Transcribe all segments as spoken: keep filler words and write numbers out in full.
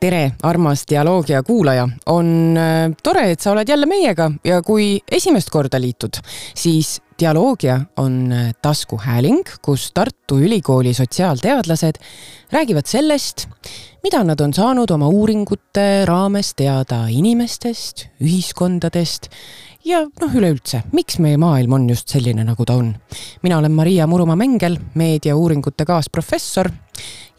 Tere, armas dialoogia kuulaja. On tore, et sa oled jälle meiega ja kui esimest korda liitud, siis dialoogia on taskuhääling, kus Tartu Ülikooli sotsiaalteadlased räägivad sellest, mida nad on saanud oma uuringute raames teada inimestest, ühiskondadest ja noh üleüldse, miks meie maailm on just selline, nagu ta on. Mina olen Maria Muruma-Mengel, meediauuringute kaasprofessor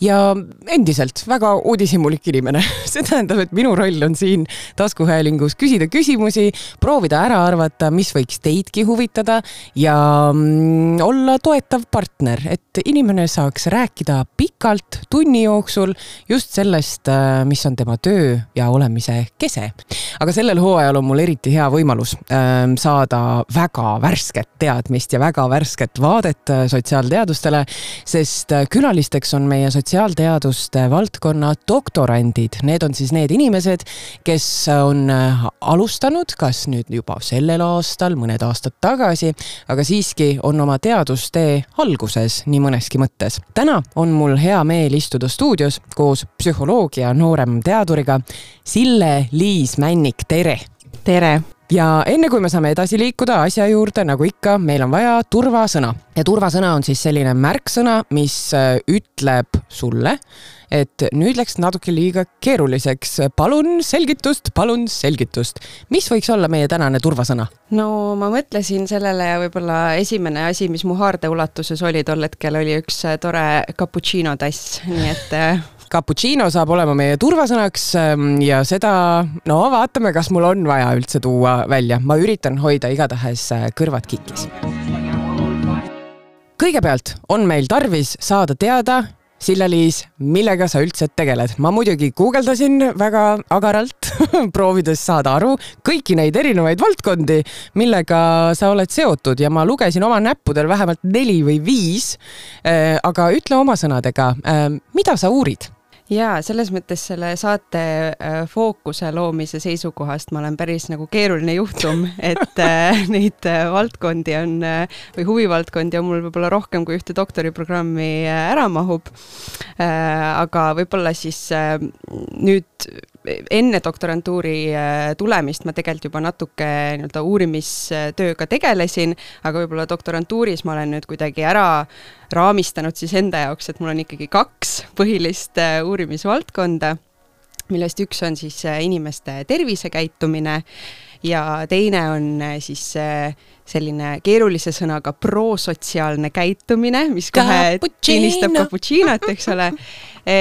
ja endiselt väga uudishimulik inimene. See tähendab, et minu roll on siin taskuhäälingus küsida küsimusi, proovida ära arvata, mis võiks teidki huvitada ja mm, olla toetav partner, et inimene saaks rääkida pikalt tunni jooksul just sellest, mis on tema töö ja olemise kese. Aga sellel hooajal on mul eriti hea võimalus äh, saada väga värsket teadmist ja väga värsket vaadet sotsiaalteadustele, sest külalisteks on meie sotsiaalteaduste valdkonna doktorandid. Need on siis need inimesed, kes on alustanud, kas nüüd juba sellel aastal, mõned aastad tagasi, aga siiski on oma teadustee alguses nii mõneski mõttes. Täna on mul hea meel istuda stuudios koos psühholoogia noorem teaduriga Sille-Liis Männik, tere! Tere! Ja enne kui me saame edasi liikuda asja juurde, nagu ikka, meil on vaja turvasõna. Ja turvasõna on siis selline märksõna, mis ütleb sulle, et nüüd läks natuke liiga keeruliseks. Palun selgitust, palun selgitust. Mis võiks olla meie tänane turvasõna? No ma mõtlesin sellele ja võib-olla esimene asi, mis mu haarde ulatuses oli tol hetkel, oli üks tore cappuccino tass, nii et... Cappuccino saab olema meie turvasõnaks ja seda, no vaatame, kas mul on vaja üldse tuua välja. Ma üritan hoida igatahes kõrvad kikis. Kõigepealt on meil tarvis saada teada, Sille-Liis, millega sa üldse tegeled. Ma muidugi guugeldasin väga agaralt, proovides saada aru kõiki neid erinevaid valdkondi, millega sa oled seotud ja ma lugesin oma näppudel vähemalt neli või viis, aga ütle oma sõnadega, mida sa uurid? Jaa, selles mõttes selle saate fookuse loomise seisukohast ma olen päris nagu keeruline juhtum, et neid valdkondi on, või huvivaldkondi on mul võib-olla rohkem kui ühte doktoriprogrammi ära mahub. Aga võib-olla siis nüüd enne doktorantuuri tulemist ma tegelikult juba natuke nii-öelda uurimistööga tegelesin, aga võib-olla doktorantuuris ma olen nüüd kuidagi ära raamistanud siis enda jaoks, et mul on ikkagi kaks põhilist uurimisvaldkonda, millest üks on siis inimeste tervisekäitumine ja teine on siis selline keerulise sõnaga prosotsiaalne käitumine, mis kohe tiinistab cappuccinot, eks ole. E,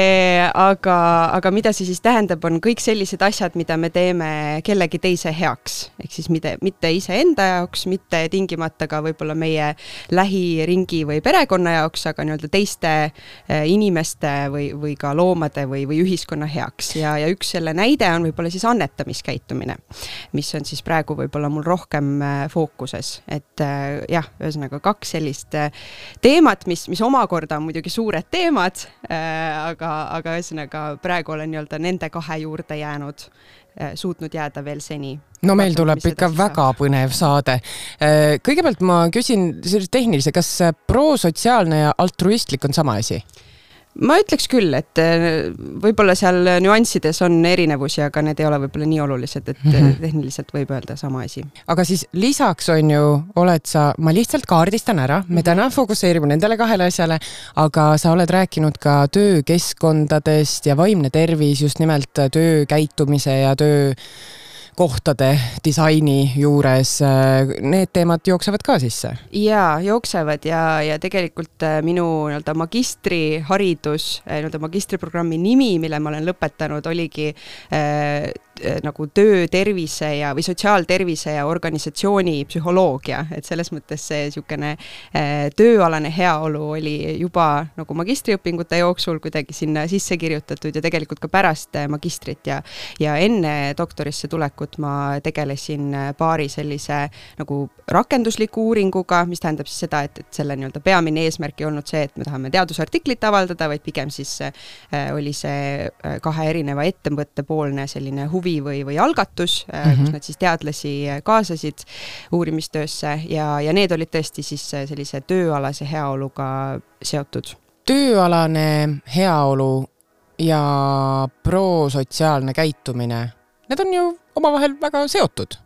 aga, aga mida see siis tähendab, on kõik sellised asjad, mida me teeme kellegi teise heaks. Ehk siis mitte, mitte ise enda jaoks, mitte tingimata ka võib-olla meie lähiringi või perekonna jaoks, aga nii-öelda teiste inimeste või, või ka loomade või, või ühiskonna heaks. Ja, ja üks selle näide on võib-olla siis annetamiskäitumine, mis on siis praegu võib-olla mul rohkem fookuses. Et jah, ühesõnaga kaks sellist teemat, mis, mis omakorda on muidugi suured teemad, aga, aga ühesõnaga praegu olen nii-öelda nende kahe juurde jäänud, suutnud jääda veel seni. No meil tuleb ikka väga põnev saade. Kõigepealt ma küsin tehnilise, kas prosotsiaalne ja altruistlik on sama asi? Ma ütleks küll, et võib-olla seal nüanssides on erinevusi, aga need ei ole võib-olla nii olulised, et tehniliselt võib öelda sama asi. Aga siis lisaks on ju, oled sa, ma lihtsalt kaardistan ära, me täna fokuseerime nendele kahele asjale, aga sa oled rääkinud ka töökeskkondadest ja vaimne tervis, just nimelt töö käitumise ja töö kohtade disaini juures, need teemad jooksevad ka sisse? Jaa, jooksevad ja, ja tegelikult minu nii-öelda magistriharidus, nii-öelda magistriprogrammi nimi, mille ma olen lõpetanud, oligi äh, nagu töö, tervise ja, või sotsiaaltervise ja organisatsiooni psühholoogia, et selles mõttes see niisugune äh, tööalane heaolu oli juba nagu magistriõpingute jooksul kuidagi sinna sisse kirjutatud ja tegelikult ka pärast magistrit ja, ja enne doktorisse tulekut ma tegelesin paari sellise nagu rakendusliku uuringuga, mis tähendab siis seda, et, et selle nii-öelda peamine eesmärk ei olnud see, et me tahame teadusartiklit avaldada, vaid pigem siis äh, oli see kahe erineva ettevõtte poolne selline huvi või, või algatus, mm-hmm. kus nad siis teadlasi kaasasid uurimistöösse ja, ja need olid tõesti siis sellise tööalase heaoluga seotud. Tööalane heaolu ja prosotsiaalne käitumine, need on ju omavahel väga seotud.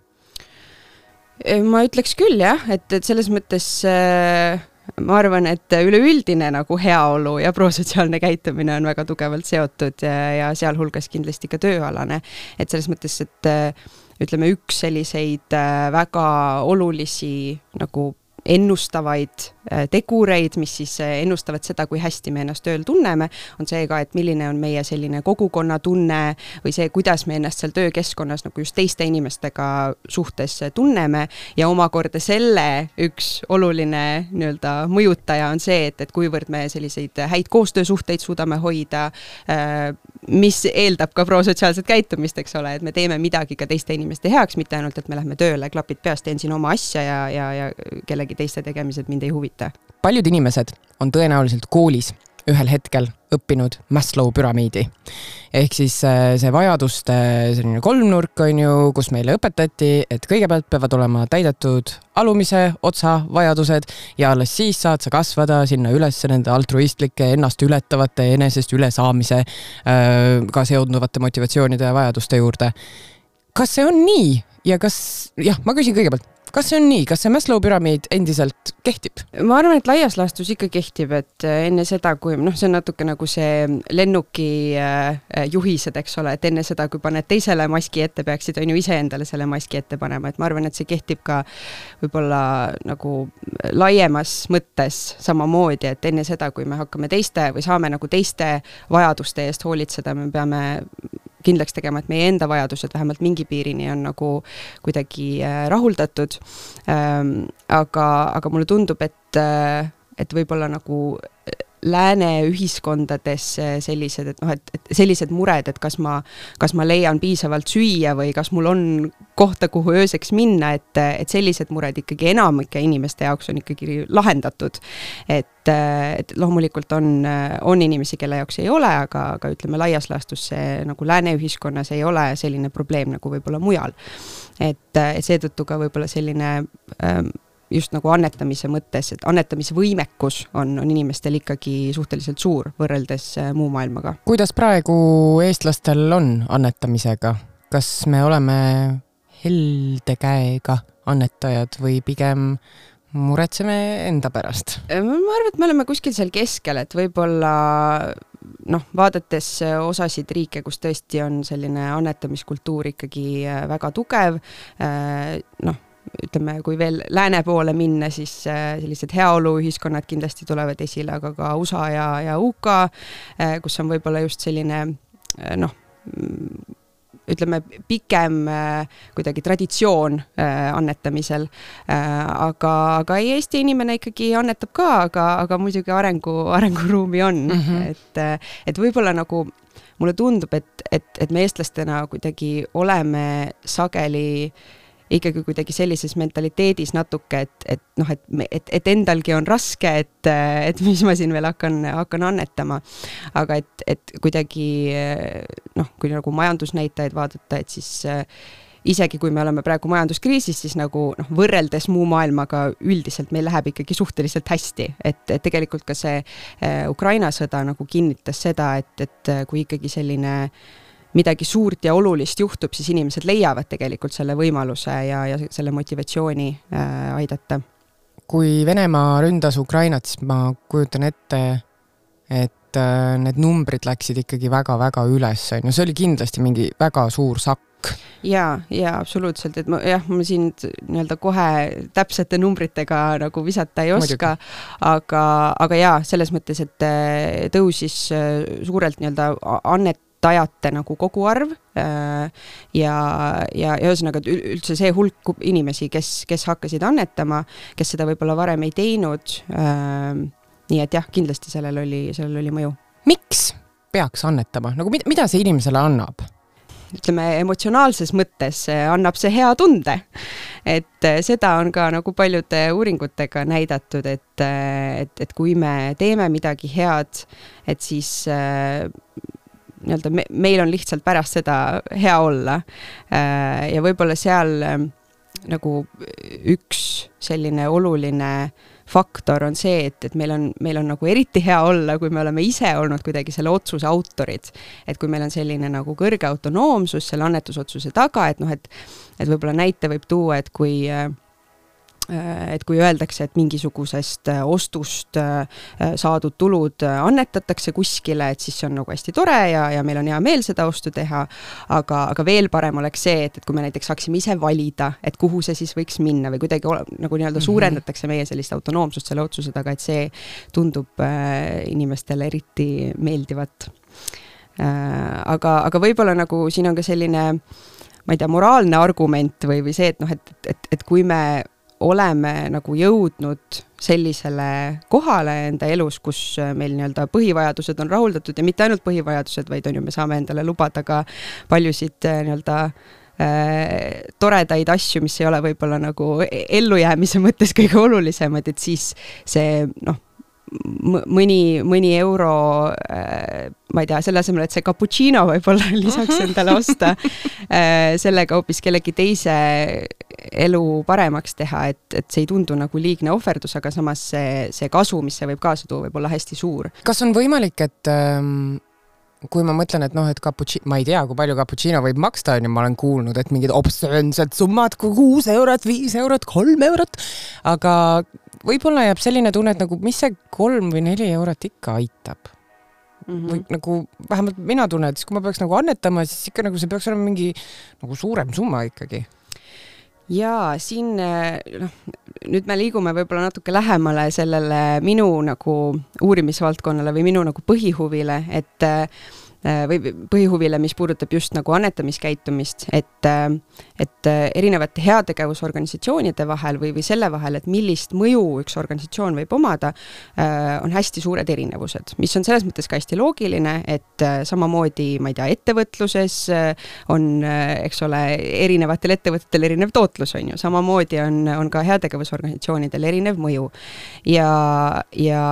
Ma ütleks küll jah, et, et selles mõttes äh, ma arvan, et üleüldine nagu heaolu ja prosotsiaalne käitumine on väga tugevalt seotud ja, ja sealhulgas kindlasti ka tööalane. Et selles mõttes, et ütleme üks selliseid väga olulisi nagu ennustavaid tegureid, mis siis ennustavad seda, kui hästi me ennast tööl tunneme, on see ka, et milline on meie selline kogukonna tunne või see, kuidas me ennast seal töökeskkonnas nagu just teiste inimestega suhtes tunneme ja omakorda selle üks oluline nii-öelda mõjutaja on see, et, et kuivõrd me selliseid häid koostöösuhteid suudame hoida, mis eeldab ka prosotsiaalset käitumist, eks ole, et me teeme midagi ka teiste inimeste heaks, mitte ainult, et me lähme tööle, klapid peast, teen siin oma asja ja, ja, ja kellegi teiste tegemised mind ei huvita. Paljud inimesed on tõenäoliselt koolis ühel hetkel õppinud Maslow püramiidi. Ehk siis see vajaduste selline kolmnurk on ju, kus meile õpetati, et kõigepealt peavad olema täidetud alumise otsa vajadused ja alles siis saad sa kasvada sinna üles nende altruistlike, ennast ületavate, enesest ülesaamise ka seonduvate motivatsioonide ja vajaduste juurde. Kas see on nii? Ja kas, jah, ma küsin kõigepealt, kas see on nii? Kas see Maslow püramiid endiselt kehtib? Ma arvan, et laias laastus ikka kehtib, et enne seda, kui, noh, see on natuke nagu see lennuki juhised, eks ole, et enne seda, kui paned teisele maski ette, peaksid on ju ise endale selle maski ette panema, et ma arvan, et see kehtib ka võib-olla nagu laiemas mõttes samamoodi, et enne seda, kui me hakkame teiste või saame nagu teiste vajaduste eest hoolitseda, me peame kindlaks tegema, et meie enda vajadused vähemalt mingi piirini on nagu kuidagi rahuldatud. Aga, aga mulle tundub, et, et võib-olla nagu lääne ühiskondades sellised, et, no, et, et sellised mured, et kas ma, kas ma leian piisavalt süüa või kas mul on kohta, kuhu ööseks minna, et, et sellised mured ikkagi enamike inimeste jaoks on ikkagi lahendatud. Et, et loomulikult on, on inimesi, kelle jaoks ei ole, aga, aga ütleme laias laastus see nagu lääne ühiskonnas ei ole selline probleem nagu võib-olla mujal. Et, et seetõttu ka võib-olla selline ähm, just nagu annetamise mõttes, et annetamise võimekus on, on inimestel ikkagi suhteliselt suur võrreldes muu maailmaga. Kuidas praegu eestlastel on annetamisega? Kas me oleme helde käega annetajad või pigem muretseme enda pärast? Ma arvan, et me oleme kuskil seal keskel, et võib-olla noh, vaadates osasid riike, kus tõesti on selline annetamiskultuur ikkagi väga tugev, noh, ütleme, kui veel lääne poole minna, siis sellised heaoluühiskonnad kindlasti tulevad esile, aga ka U S A ja, ja U K, kus on võib-olla just selline, noh, ütleme, pikem kuidagi traditsioon annetamisel. Aga, aga Eesti inimene ikkagi annetab ka, aga, aga muidugi arengu, arenguruumi on. Mm-hmm. Et, et võib-olla nagu mulle tundub, et, et, et me eestlastena kuidagi oleme sageli ikkagi kuidagi sellises mentaliteedis natuke, et, et, noh, et, et, et endalgi on raske, et, et mis ma siin veel hakkan, hakkan annetama. Aga et, et kuidagi, noh, kui nagu majandusnäitajaid vaadata, et siis isegi kui me oleme praegu majanduskriisis, siis nagu noh, võrreldes muu maailmaga üldiselt meil läheb ikkagi suhteliselt hästi. Et, et tegelikult ka see Ukraina sõda nagu kinnitas seda, et, et kui ikkagi selline midagi suurt ja olulist juhtub, siis inimesed leiavad tegelikult selle võimaluse ja, ja selle motivatsiooni äh, aidata. Kui Venemaa ründas Ukrainat, siis ma kujutan ette, et äh, need numbrid läksid ikkagi väga-väga üles. No see oli kindlasti mingi väga suur sakk. Jaa, jaa, absoluutselt. Et ma, jah, ma siin nii-öelda kohe täpsete numbritega nagu visata ei oska, aga, aga jaa, selles mõttes, et tõusis suurelt nii-öelda annet tajate nagu kogu arv ja, ja, ja ühesõnaga üldse see hulk inimesi, kes, kes hakkasid annetama, kes seda võib-olla varem ei teinud. Nii et jah, kindlasti sellel oli, sellel oli mõju. Miks peaks annetama? Nagu mida, mida see inimesele annab? Ütleme, emotsionaalses mõttes annab see hea tunde. Et seda on ka nagu paljude uuringutega näidatud, et, et, et kui me teeme midagi head, et siis nii-öelda me, meil on lihtsalt pärast seda hea olla. Ja võib-olla seal nagu üks selline oluline faktor on see, et, et meil on, meil on nagu eriti hea olla, kui me oleme ise olnud kuidagi selle otsuse autorid. Et kui meil on selline nagu kõrge autonoomsus selle annetusotsuse taga, et noh, et, et võib-olla näite võib tuua, et kui et kui öeldakse, et mingisugusest ostust saadud tulud annetatakse kuskile, et siis see on nagu hästi tore ja, ja meil on hea meel seda ostu teha, aga, aga veel parem oleks see, et, et kui me näiteks saaksime ise valida, et kuhu see siis võiks minna või kuidagi nagu nii-öelda suurendatakse meie sellist autonoomsust selle otsuse taga, et see tundub inimestele eriti meeldivat. Aga, aga võib-olla nagu siin on ka selline, ma ei tea, moraalne argument või, või see, et noh, et, et, et kui me oleme nagu jõudnud sellisele kohale enda elus, kus meil nii-öelda põhivajadused on rahuldatud ja mitte ainult põhivajadused, vaid on ju, me saame endale lubada ka paljusid nii-öelda äh, toredaid asju, mis ei ole võib-olla nagu ellujäämise mõttes kõige olulisemad, et siis see noh, mõni, mõni euro, äh, ma ei tea, selle asemel, et see cappuccino võib-olla lisaks endale osta, äh, sellega hoopis kellegi teise elu paremaks teha, et, et see ei tundu nagu liigne ohverdus, aga samas see, see kasu, mis see võib kaasa tuua, võib olla hästi suur. Kas on võimalik, et ähm, kui ma mõtlen, et noh, et cappuccino, ma ei tea, kui palju cappuccino võib maksta, on ja ma olen kuulnud, et mingid obstsöönsed summad, kuus eurot, viis eurot, kolm eurot, aga võib-olla jääb selline tunne, et nagu mis see kolm või neli eurot ikka aitab. Mm-hmm. Või nagu vähemalt mina tunnen, et siis kui ma peaks nagu annetama, siis ikka nagu see peaks olema mingi nagu suurem summa ikkagi. Jaa, siin noh, nüüd me liigume võib-olla natuke lähemale sellele minu nagu uurimisvaldkonnale või minu nagu põhihuvile, et või põhihuvile, mis puudutab just nagu annetamiskäitumist, et, et erinevate heategevusorganisatsioonide vahel või, või selle vahel, et millist mõju üks organisatsioon võib omada, on hästi suured erinevused, mis on selles mõttes ka hästi loogiline, et samamoodi, ma ei tea, ettevõtluses on, eks ole, erinevatel ettevõtetel erinev tootlus on ju, samamoodi on, on ka heategevusorganisatsioonidel erinev mõju ja, ja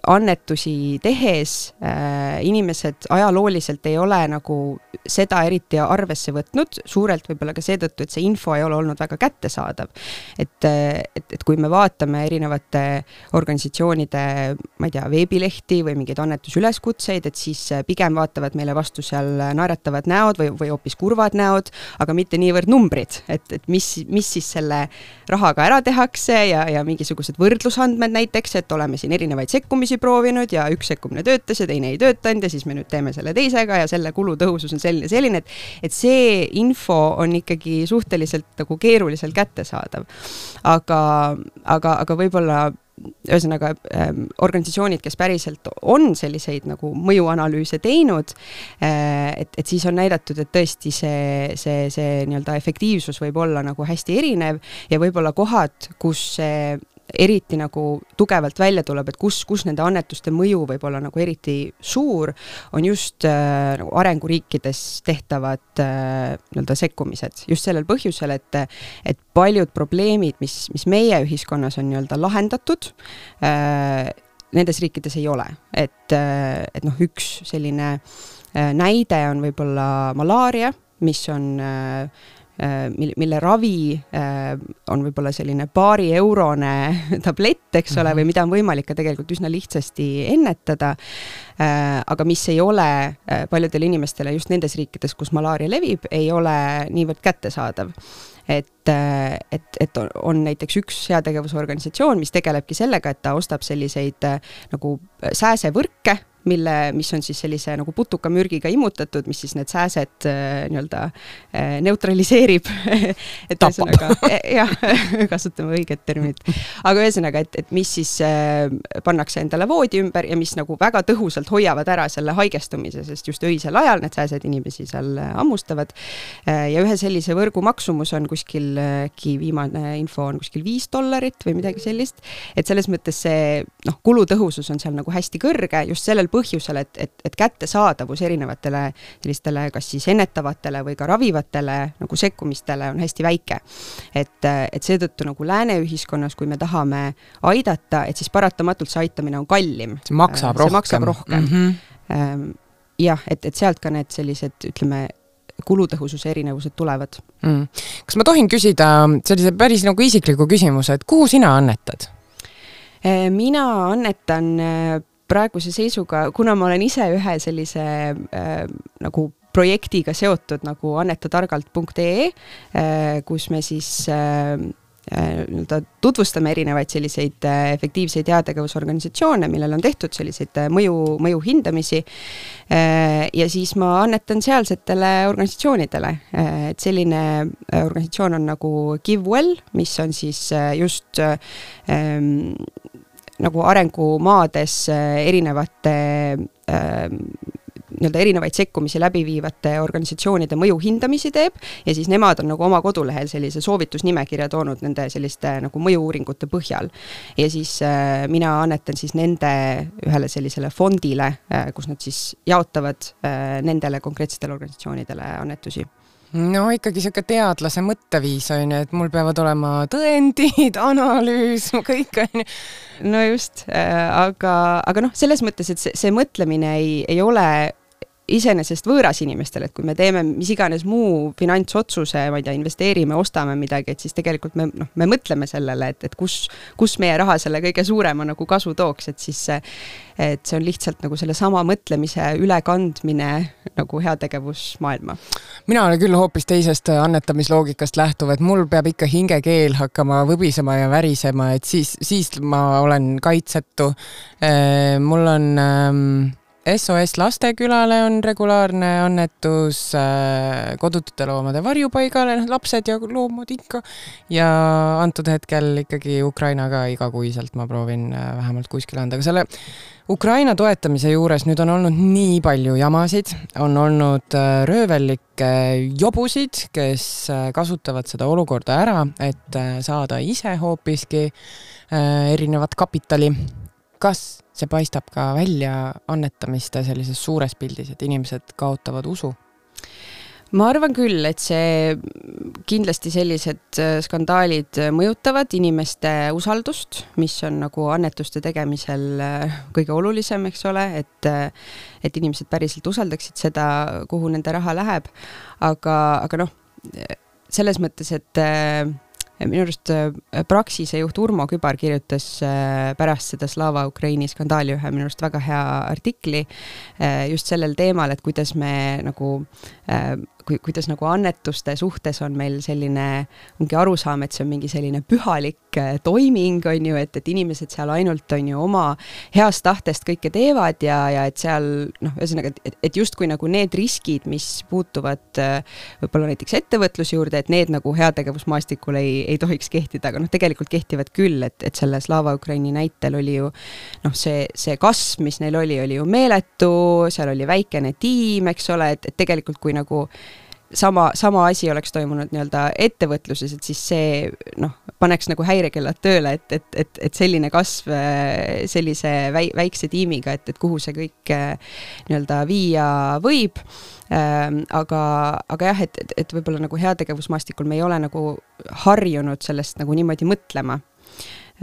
annetusi tehes äh, inimesed ajalooliselt ei ole nagu seda eriti arvesse võtnud, suurelt võib-olla ka seetõttu, et see info ei ole olnud väga kättesaadav. Et, et, et kui me vaatame erinevate organisatsioonide, ma ei tea, veebilehti või mingeid annetusüleskutseid, et siis pigem vaatavad meile vastu seal naeratavad näod või, või hoopis kurvad näod, aga mitte niivõrd numbrid, et, et mis, mis siis selle rahaga ära tehakse ja, ja mingisugused võrdlusandmed näiteks, et oleme siin erinevaid sekkumisi proovinud ja üks sekkumine töötas ja teine ei töötanud ja siis me nüüd teeme selle teisega ja selle kulutõhusus on selline, selline, et, et see info on ikkagi suhteliselt nagu keeruliselt kättesaadav. Aga, aga, aga võib-olla ühesõnaga ähm, organisatsioonid, kes päriselt on selliseid nagu mõjuanalüüse teinud, äh, et, et siis on näidatud, et tõesti see, see, see nii-öelda efektiivsus võib olla nagu hästi erinev ja võib-olla kohad, kus see eriti nagu tugevalt välja tuleb, et kus, kus nende annetuste mõju võib olla nagu eriti suur, on just äh, nagu arenguriikides tehtavad äh, nii-öelda sekkumised. Just sellel põhjusel, et, et paljud probleemid, mis, mis meie ühiskonnas on nii-öelda lahendatud, äh, nendes riikides ei ole. Et, äh, et noh, üks selline äh, näide on võib-olla malaaria, mis on äh, mille ravi on võib-olla selline paari eurone tablett, eks ole, või mida on võimalik ka tegelikult üsna lihtsasti ennetada, aga mis ei ole paljudele inimestele just nendes riikides, kus malaaria levib, ei ole niivõrd kättesaadav. Et, et, et on näiteks üks heategevusorganisatsioon, mis tegelebki sellega, et ta ostab selliseid nagu sääsevõrke, mille, mis on siis sellise nagu putukamürgiga immutatud, mis siis need sääsed nii-öelda neutraliseerib. et ühesõnaga, jah, kasutame õiget terminit. Aga ühesõnaga, et, et mis siis pannakse endale voodi ümber ja mis nagu väga tõhusalt hoiavad ära selle haigestumise, sest just öisel ajal need sääsed inimesi seal ammustavad. Ja ühe sellise võrgu maksumus on kuskilgi, viimane info on kuskil viis dollarit või midagi sellist. Et selles mõttes see noh, kulutõhusus on seal nagu hästi kõrge, just sellel põhjusel, et, et, et kättesaadavus erinevatele sellistele kas siis ennetavatele või ka ravivatele nagu sekkumistele on hästi väike. Et, et seetõttu nagu lääne ühiskonnas, kui me tahame aidata, et siis paratamatult see aitamine on kallim. See maksab see rohkem. Maksab rohkem. Mm-hmm. Jah, et, et sealt ka need sellised, ütleme, kulutõhususe erinevused tulevad. Mm. Kas ma tohin küsida sellise päris nagu isikliku küsimuse, et kuhu sina annetad? Mina annetan praeguse seisuga, kuna ma olen ise ühe sellise äh, nagu projektiga seotud nagu annetatargalt punkt ee, äh, kus me siis äh, tutvustame erinevaid selliseid efektiivseid heategevusorganisatsioone, millel on tehtud selliseid mõju, mõju hindamisi ja siis ma annetan sealsetele organisatsioonidele. Et selline organisatsioon on nagu GiveWell, mis on siis just ähm, nagu arengumaades erinevate ähm, nii-öelda erinevaid sekkumisi läbi viivate organisatsioonide mõju hindamisi teeb ja siis nemad on nagu oma kodulehel sellise soovitusnimekirja toonud nende selliste nagu mõju-uuringute põhjal. Ja siis äh, mina annetan siis nende ühele sellisele fondile, äh, kus nad siis jaotavad äh, nendele konkreetsetele organisatsioonidele annetusi. No ikkagi siuke teadlase mõtteviis on, et mul peavad olema tõendid, analüüs, kõik on. No just, aga, aga noh, selles mõttes, et see, see mõtlemine ei, ei ole iseenesest võõras inimestel, et kui me teeme mis iganes muu finantsotsuse, ma ei tea, investeerime, ostame midagi, et siis tegelikult me, noh, me mõtleme sellele, et, et kus, kus meie raha selle kõige suurema nagu kasu tooks, et siis see, et see on lihtsalt nagu selle sama mõtlemise ülekandmine nagu heategevusmaailma. Mina olen küll hoopis teisest annetamisloogikast lähtuv, et mul peab ikka hingekeel hakkama võbisema ja värisema, et siis, siis ma olen kaitsetu. Mul on S O S Lastekülale on regulaarne annetus, kodutute loomade varjupaigale, lapsed ja loomad ikka. Ja antud hetkel ikkagi Ukrainaga igakuiselt ma proovin vähemalt kuskil anda. Aga selle Ukraina toetamise juures nüüd on olnud nii palju jamasid, on olnud röövellikke jobusid, kes kasutavad seda olukorda ära, et saada ise hoopiski erinevat kapitali. Kas see paistab ka välja annetamiste sellises suures pildis, et inimesed kaotavad usu? Ma arvan küll, et see kindlasti sellised skandaalid mõjutavad inimeste usaldust, mis on nagu annetuste tegemisel kõige olulisem, eks ole, et, et inimesed päriselt usaldaksid seda, kuhu nende raha läheb. Aga, aga noh, selles mõttes, et minu arust Praxise juht Urmo Kübar kirjutas pärast seda Slava Ukraini skandaali ühe minu arust väga hea artikli just sellel teemal, et kuidas me nagu kuidas nagu annetuste suhtes on meil selline ongi arusaam, et see on mingi selline pühalik toiming, on ju, et, et inimesed seal ainult on ju oma heast tahtest kõike teevad ja, ja et seal, noh, ühesõnaga, et, et just kui nagu need riskid, mis puutuvad võib-olla näiteks ettevõtluse juurde, et need nagu heategevusmaastikul ei, ei tohiks kehtida, aga noh, tegelikult kehtivad küll, et, et selle Slava Ukraini näitel oli ju, noh, see, see kasv, mis neil oli, oli ju meeletu, seal oli väikene tiim, eks ole, et, et tegelikult kui nagu sama, sama asi oleks toimunud nii-öelda ettevõtluses, et siis see noh, paneks nagu häirekellad tööle, et, et, et, et selline kasv sellise väi, väikse tiimiga, et, et kuhu see kõik nii-öelda viia võib. Aga, aga jah, et, et, et võib-olla nagu heategevusmaastikul me ei ole nagu harjunud sellest nagu niimoodi mõtlema.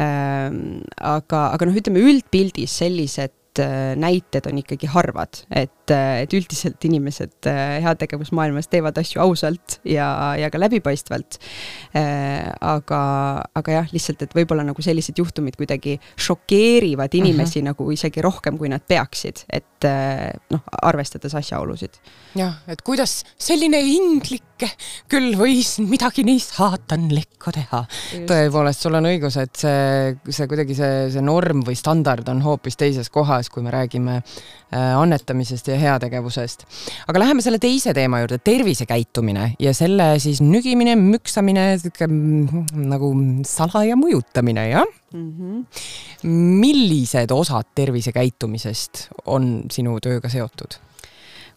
Aga, aga noh, ütleme üldpildis sellised näited on ikkagi harvad, et, et üldiselt inimesed heategevusmaailmas teevad asju ausalt ja, ja ka läbipaistvalt. Aga, aga jah, lihtsalt, et võib-olla nagu sellised juhtumid kuidagi šokeerivad inimesi uh-huh. nagu isegi rohkem, kui nad peaksid, et noh, arvestades asjaolusid. Jah, et kuidas selline inglike küll võis midagi nii saatanlikku teha. Just. Tõepoolest, sul on õigus, et see, see kuidagi see, see norm või standard on hoopis teises kohas, kui me räägime annetamisest ja heategevusest. Aga läheme selle teise teema juurde, tervisekäitumine ja selle siis nügimine, müksamine, nagu salaja mõjutamine, jah? Mm-hmm. Millised osad tervisekäitumisest on sinu tööga seotud?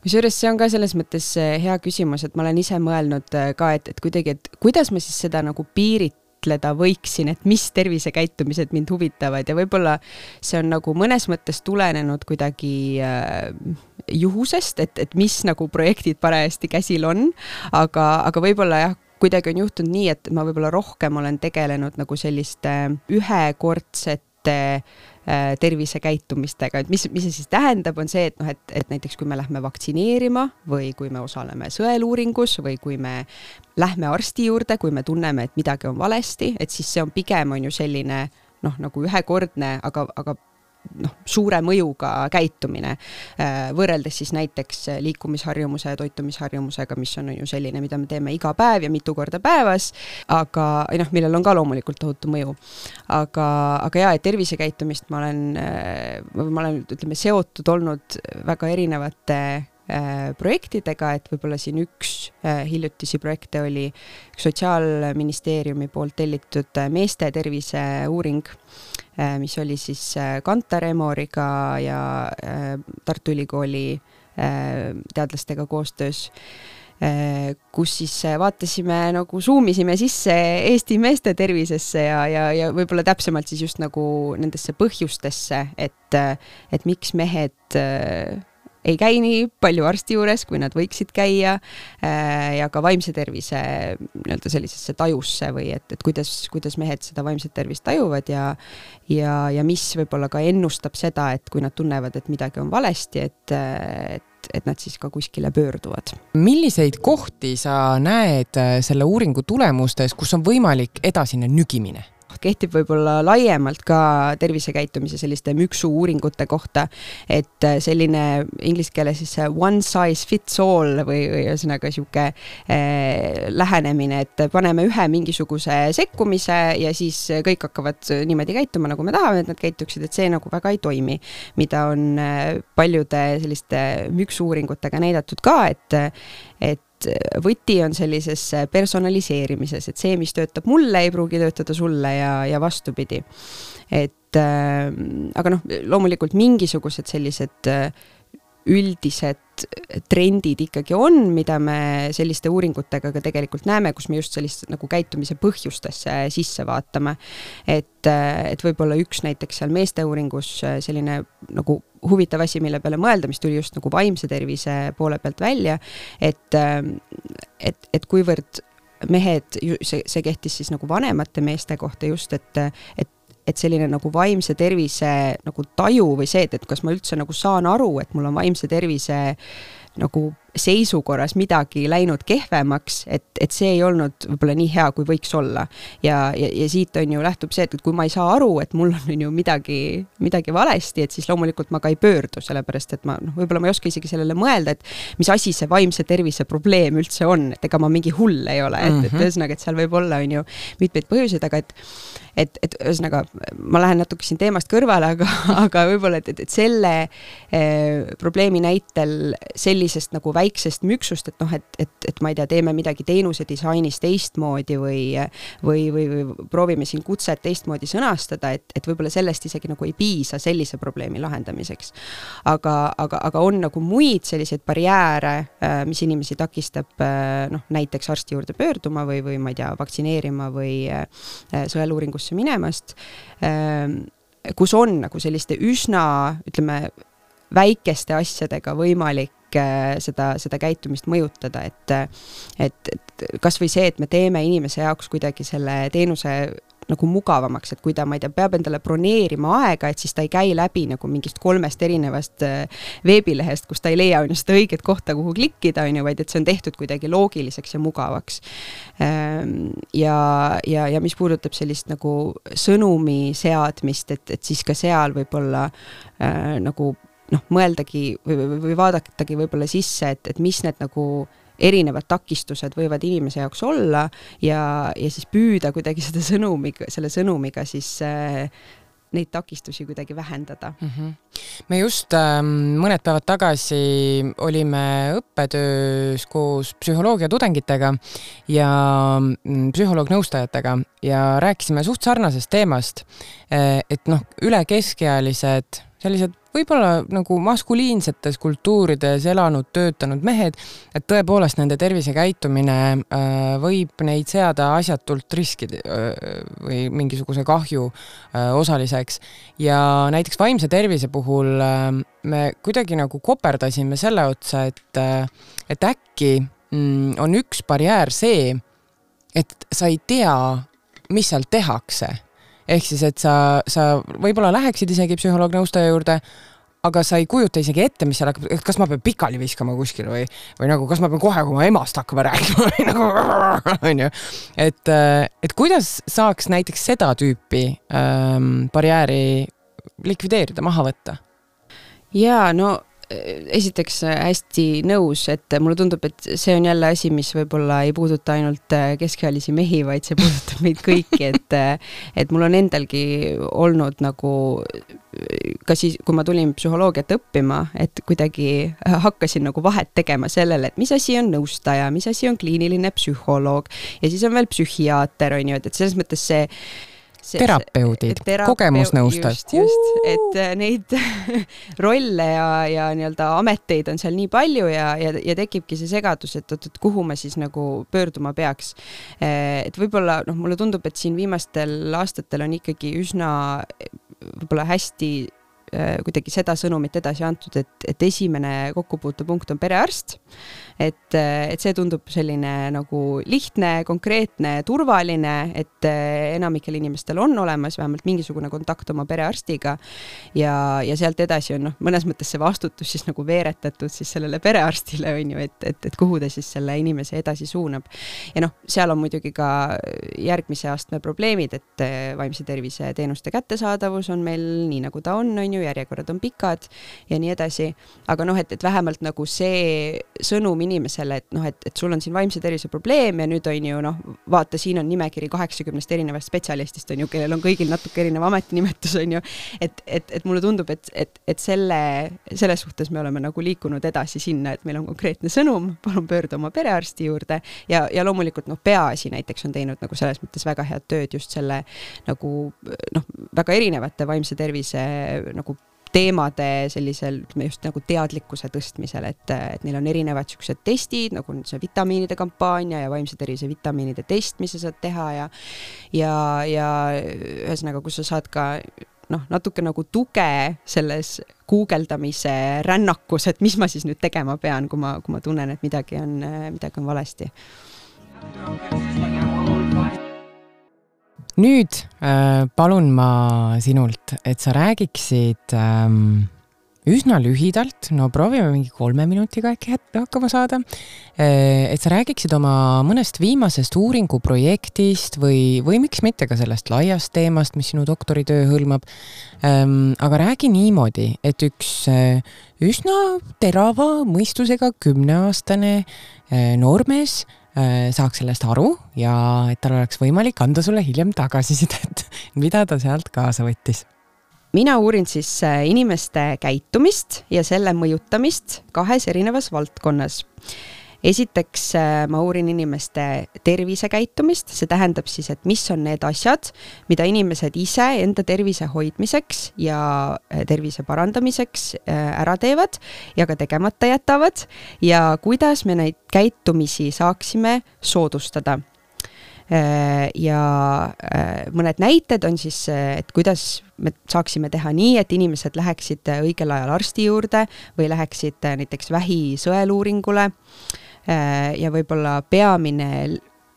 Kusjuures see on ka selles mõttes hea küsimus, et ma olen ise mõelnud ka, et, et kuidagi, et kuidas ma siis seda nagu piiritleda võiksin, et mis tervisekäitumised mind huvitavad ja võib-olla see on nagu mõnes mõttes tulenenud kuidagi äh, juhusest, et, et mis nagu projektid parajasti käsil on, aga, aga võib-olla jah, kuidagi on juhtunud nii, et ma võib-olla rohkem olen tegelenud nagu selliste ühekordsete tervisekäitumistega, et mis, mis see siis tähendab, on see, et, noh, et, et näiteks kui me lähme vaktsineerima või kui me osaleme sõeluuringus või kui me lähme arsti juurde, kui me tunneme, et midagi on valesti, et siis see on pigem on ju selline noh, nagu ühekordne, aga, aga noh, suure mõjuga käitumine, võrreldes siis näiteks liikumisharjumuse ja toitumisharjumusega, mis on ju selline, mida me teeme iga päev ja mitu korda päevas, aga noh, millel on ka loomulikult tohutu mõju. Aga, aga jaa, et tervisekäitumist ma olen, ma olen, ütleme, seotud olnud väga erinevate projektidega, et võib-olla siin üks hiljutisi projekte oli Sotsiaalministeeriumi poolt tellitud meeste tervise uuring, mis oli siis Kantar Emoriga ja Tartu Ülikooli teadlastega koostöös, kus siis vaatasime, nagu zoomisime sisse Eesti meeste tervisesse ja, ja, ja võib-olla täpsemalt siis just nagu nendesse põhjustesse, et, et miks mehed ei käi nii palju arsti juures, kui nad võiksid käia ja ka vaimse tervise nii-öelda sellisesse tajusse või et, et kuidas, kuidas mehed seda vaimset tervist tajuvad ja, ja, ja mis võib-olla ka ennustab seda, et kui nad tunnevad, et midagi on valesti, et, et, et nad siis ka kuskile pöörduvad. Milliseid kohti sa näed selle uuringu tulemustes, kus on võimalik edasine nügimine? Kehtib võib-olla laiemalt ka tervisekäitumise selliste müksu uuringute kohta, et selline inglise keeles siis one size fits all või, või ühesõnaga siuke eh, lähenemine, et paneme ühe mingisuguse sekkumise ja siis kõik hakkavad niimoodi käituma, nagu me tahame, et nad käituksid, et see nagu väga ei toimi, mida on paljude selliste müksu uuringutega näidatud ka, et, et võti on sellises personaliseerimises, et see, mis töötab mulle, ei pruugi töötada sulle ja, ja vastupidi. Et, äh, aga noh, loomulikult mingisugused sellised üldised trendid ikkagi on, mida me selliste uuringutega ka tegelikult näeme, kus me just sellist nagu käitumise põhjustesse sisse vaatame. Et, et võib-olla üks näiteks seal meeste uuringus selline nagu huvitav asi, mille peale mõelda, mis tuli just nagu vaimse tervise poole pealt välja, et, et, et kuivõrd mehed, see, see kehtis siis nagu vanemate meeste kohta just, et, et et selline nagu vaimse tervise nagu taju või see, et, et kas ma üldse nagu saan aru, et mul on vaimse tervise nagu seisukorras midagi läinud kehvemaks, et, et see ei olnud võib-olla nii hea, kui võiks olla. Ja, ja, ja siit on ju lähtub see, et kui ma ei saa aru, et mul on ju midagi, midagi valesti, et siis loomulikult ma ka ei pöördu, sellepärast, et ma, noh, võib-olla ma ei oska isegi sellele mõelda, et mis asi see vaimse tervise probleem üldse on, et ega ma mingi hull ei ole, et, et ühesõnaga, et seal võib olla on ju mitmeid põhjuseid, aga et et, et ühesõnaga, ma lähen natuke siin teemast kõrvale, aga, aga võib-olla, et, et, et selle eh, probleemi näitel sellisest nagu väiksest müksust, et noh, et, et, et ma ei tea, teeme midagi teenuse disainis teistmoodi või, või, või, või proovime siin kutset teistmoodi sõnastada, et, et võib-olla sellest isegi nagu ei piisa sellise probleemi lahendamiseks. Aga, aga, aga on nagu muid selliseid barjääre, mis inimesi takistab noh, näiteks arsti juurde pöörduma või, või ma ei tea, vaktsineerima või sõeluuringusse minemast, kus on nagu selliste üsna, ütleme, väikeste asjadega võimalik seda, seda käitumist mõjutada, et, et, et kas või see, et me teeme inimese jaoks kuidagi selle teenuse nagu mugavamaks, et kui ta, ma ei tea, peab endale broneerima aega, et siis ta ei käi läbi nagu mingist kolmest erinevast veebilehest, kus ta ei leia on seda õiget kohta, kuhu klikkida, on ju, vaid et see on tehtud kuidagi loogiliseks ja mugavaks. Ja, ja, ja mis puudutab sellist nagu sõnumi seadmist, et, et siis ka seal võib-olla äh, nagu noh, mõeldagi või, või, või vaadatagi võib-olla sisse, et, et mis need nagu erinevad takistused võivad inimese jaoks olla ja, ja siis püüda kuidagi seda sõnumiga, selle sõnumiga siis äh, neid takistusi kuidagi vähendada. Mm-hmm. Me just äh, mõned päevad tagasi olime õppetöös koos psühholoogia tudengitega ja psühholoog-nõustajatega ja rääkisime suht sarnasest teemast, et noh, üle keskealised sellised võib-olla nagu maskuliinsetes kultuurides elanud, töötanud mehed, et tõepoolest nende tervisekäitumine äh, võib neid seada asjatult riski äh, või mingisuguse kahju äh, osaliseks. Ja näiteks vaimse tervise puhul äh, me kuidagi nagu koperdasime selle otsa, et, äh, et äkki mm, on üks barjäär see, et sa ei tea, mis seal tehakse. Ehk siis, et sa, sa võib-olla läheksid isegi psühholoog-nõustaja juurde, aga sa ei kujuta isegi ette, mis seal hakkab, kas ma pean pikali viskama kuskil või, või nagu, kas ma pean kohe, kui ma emast hakkama rääkima või nagu, on ju. Et, et kuidas saaks näiteks seda tüüpi ähm, barjääri likvideerida, maha võtta? Jaa, no esiteks hästi nõus, et mulle tundub, et see on jälle asi, mis võib-olla ei puuduta ainult keskealisi mehi, vaid see puudutab meid kõiki, et, et mul on endalgi olnud nagu, ka siis, kui ma tulin psühholoogiat õppima, et kuidagi hakkasin nagu vahet tegema sellele, et mis asi on nõustaja, mis asi on kliiniline psühholoog ja siis on veel psühhiaater, on ju, et selles mõttes see See, terapeudid, kogemusnõustajad. Just, just, et neid rolle ja, ja nii-öelda ameteid on seal nii palju ja, ja, ja tekibki see segadus, et, et, et kuhu ma siis nagu pöörduma peaks. Et võib-olla, noh, mulle tundub, et siin viimastel aastatel on ikkagi üsna võib-olla hästi kuidagi seda sõnumit edasi antud, et, et esimene kokkupuutepunkt on perearst, et, et see tundub selline nagu lihtne, konkreetne, turvaline, et enamikel inimestel on olemas vähemalt mingisugune kontakt oma perearstiga ja, ja sealt edasi on noh, mõnes mõttes see vastutus siis nagu veeretatud siis sellele perearstile, on ju, et, et, et kuhu ta siis selle inimese edasi suunab. Ja noh, seal on muidugi ka järgmise astme probleemid, et vaimse tervise teenuste kättesaadavus on meil nii nagu ta on, on ju, järjekorrad on pikad ja nii edasi, aga noh, et, et vähemalt nagu see sõnum inimesele, et noh, et, et sul on siin vaimse tervise probleem ja nüüd on ju noh, vaata, siin on nimekiri kaheksakümnest erinevast spetsialistist, on ju, kellel on kõigil natuke erineva ametinimetus, on ju, et, et, et mulle tundub, et, et, et selle, selles suhtes me oleme nagu liikunud edasi sinna, et meil on konkreetne sõnum, palun pöördu oma perearsti juurde ja, ja loomulikult noh, peaasi näiteks on teinud nagu selles mõttes väga head tööd just selle nagu noh, väga erinevate vaimse tervise nagu teemade sellisel just nagu teadlikkuse tõstmisel, et, et neil on erinevad sellised testid, nagu see vitamiinide kampaania ja vaimse tervise vitamiinide test, mis sa saad teha ja, ja, ja ühesõnaga, kus sa saad ka noh, natuke nagu tuge selles guugeldamise rännakus, et mis ma siis nüüd tegema pean, kui ma, kui ma tunnen, et midagi on, midagi on valesti. Nüüd äh, palun ma sinult, et sa räägiksid ähm, üsna lühidalt, no proovime mingi kolme minutiga äkki hakkama saada, äh, et sa räägiksid oma mõnest viimasest uuringuprojektist või, või miks mitte ka sellest laiast teemast, mis sinu doktoritöö hõlmab, ähm, aga räägi niimoodi, et üks äh, üsna terava mõistusega kümneaastane äh, noormees saaks sellest aru ja et tal oleks võimalik anda sulle hiljem tagasisidet, mida ta sealt kaasa võttis. Mina uurin siis inimeste käitumist ja selle mõjutamist kahes erinevas valdkonnas. Esiteks ma uurin inimeste tervisekäitumist, see tähendab siis, et mis on need asjad, mida inimesed ise enda tervise hoidmiseks ja tervise parandamiseks ära teevad ja ka tegemata jätavad ja kuidas me neid käitumisi saaksime soodustada. Ja mõned näited on siis, et kuidas me saaksime teha nii, et inimesed läheksid õigel ajal arsti juurde või läheksid näiteks vähisõeluuringule ja võib-olla peamine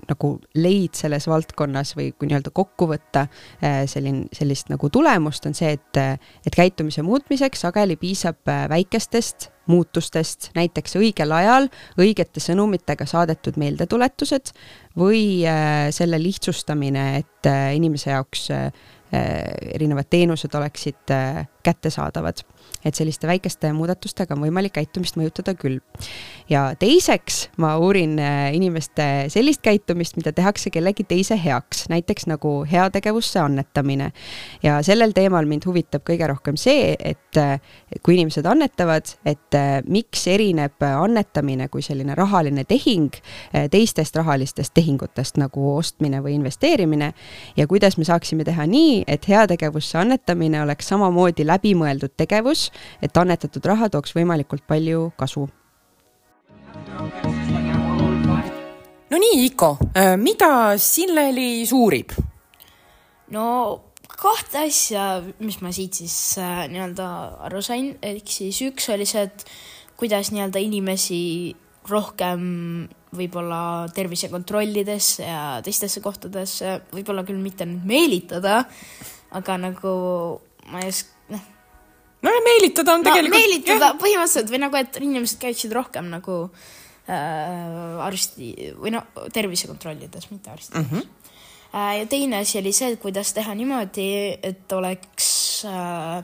nagu leid selles valdkonnas või kui nii-öelda kokku võtta sellin, sellist nagu tulemust on see, et, et käitumise muutmiseks sageli piisab väikestest muutustest, näiteks õigel ajal õigete sõnumitega saadetud meeldetuletused või selle lihtsustamine, et inimese jaoks erinevad teenused oleksid kättesaadavad. Et selliste väikeste muudatustega on võimalik käitumist mõjutada küll. Ja teiseks ma uurin inimeste sellist käitumist, mida tehakse kellegi teise heaks, näiteks nagu heategevusse annetamine. Ja sellel teemal mind huvitab kõige rohkem see, et kui inimesed annetavad, et miks erineb annetamine kui selline rahaline tehing teistest rahalistest tehingutest nagu ostmine või investeerimine ja kuidas me saaksime teha nii, et heategevusse annetamine oleks samamoodi läbimõeldud tegevus, et annetatud raha tooks võimalikult palju kasu. No nii, Iko, mida Sinleli suurib? No kahte asja, mis ma siit siis äh, nii-öelda aru sain, ehk siis üks oli see, et kuidas nii-öelda inimesi rohkem võib-olla tervisekontrollidesse ja teistesse kohtadesse, võib-olla küll mitte nüüd meelitada, aga nagu ma ei oska, noh, no ja meelitada on no, tegelikult... meelitada jah. Põhimõtteliselt või nagu, et inimesed käiksid rohkem nagu äh, arsti või no tervisekontrollides, mitte arstides. Mm-hmm. Ja teine asi oli see, kuidas teha niimoodi, et oleks äh,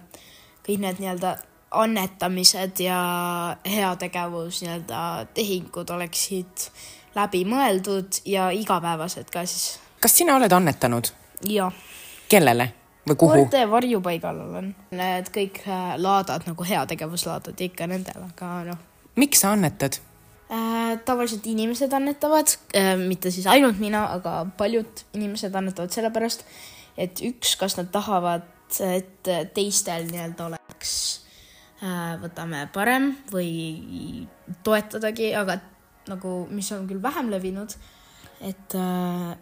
kõik need nii-öelda annetamised ja heategevus nii-öelda tehingud oleksid läbi mõeldud ja igapäevased ka siis. Kas sina oled annetanud? Jah. Kellele või kuhu? Koerte varjupaigal olen. Need kõik laadad, nagu heategevuslaadad ikka nendel, aga noh. Miks sa annetad? Äh, tavaliselt inimesed annetavad, äh, mitte siis ainult mina, aga paljud inimesed annetavad sellepärast, et üks, kas nad tahavad, et teistel nii-öelda oleks äh, võtame parem või toetadagi, aga nagu, mis on küll vähem levinud, et äh,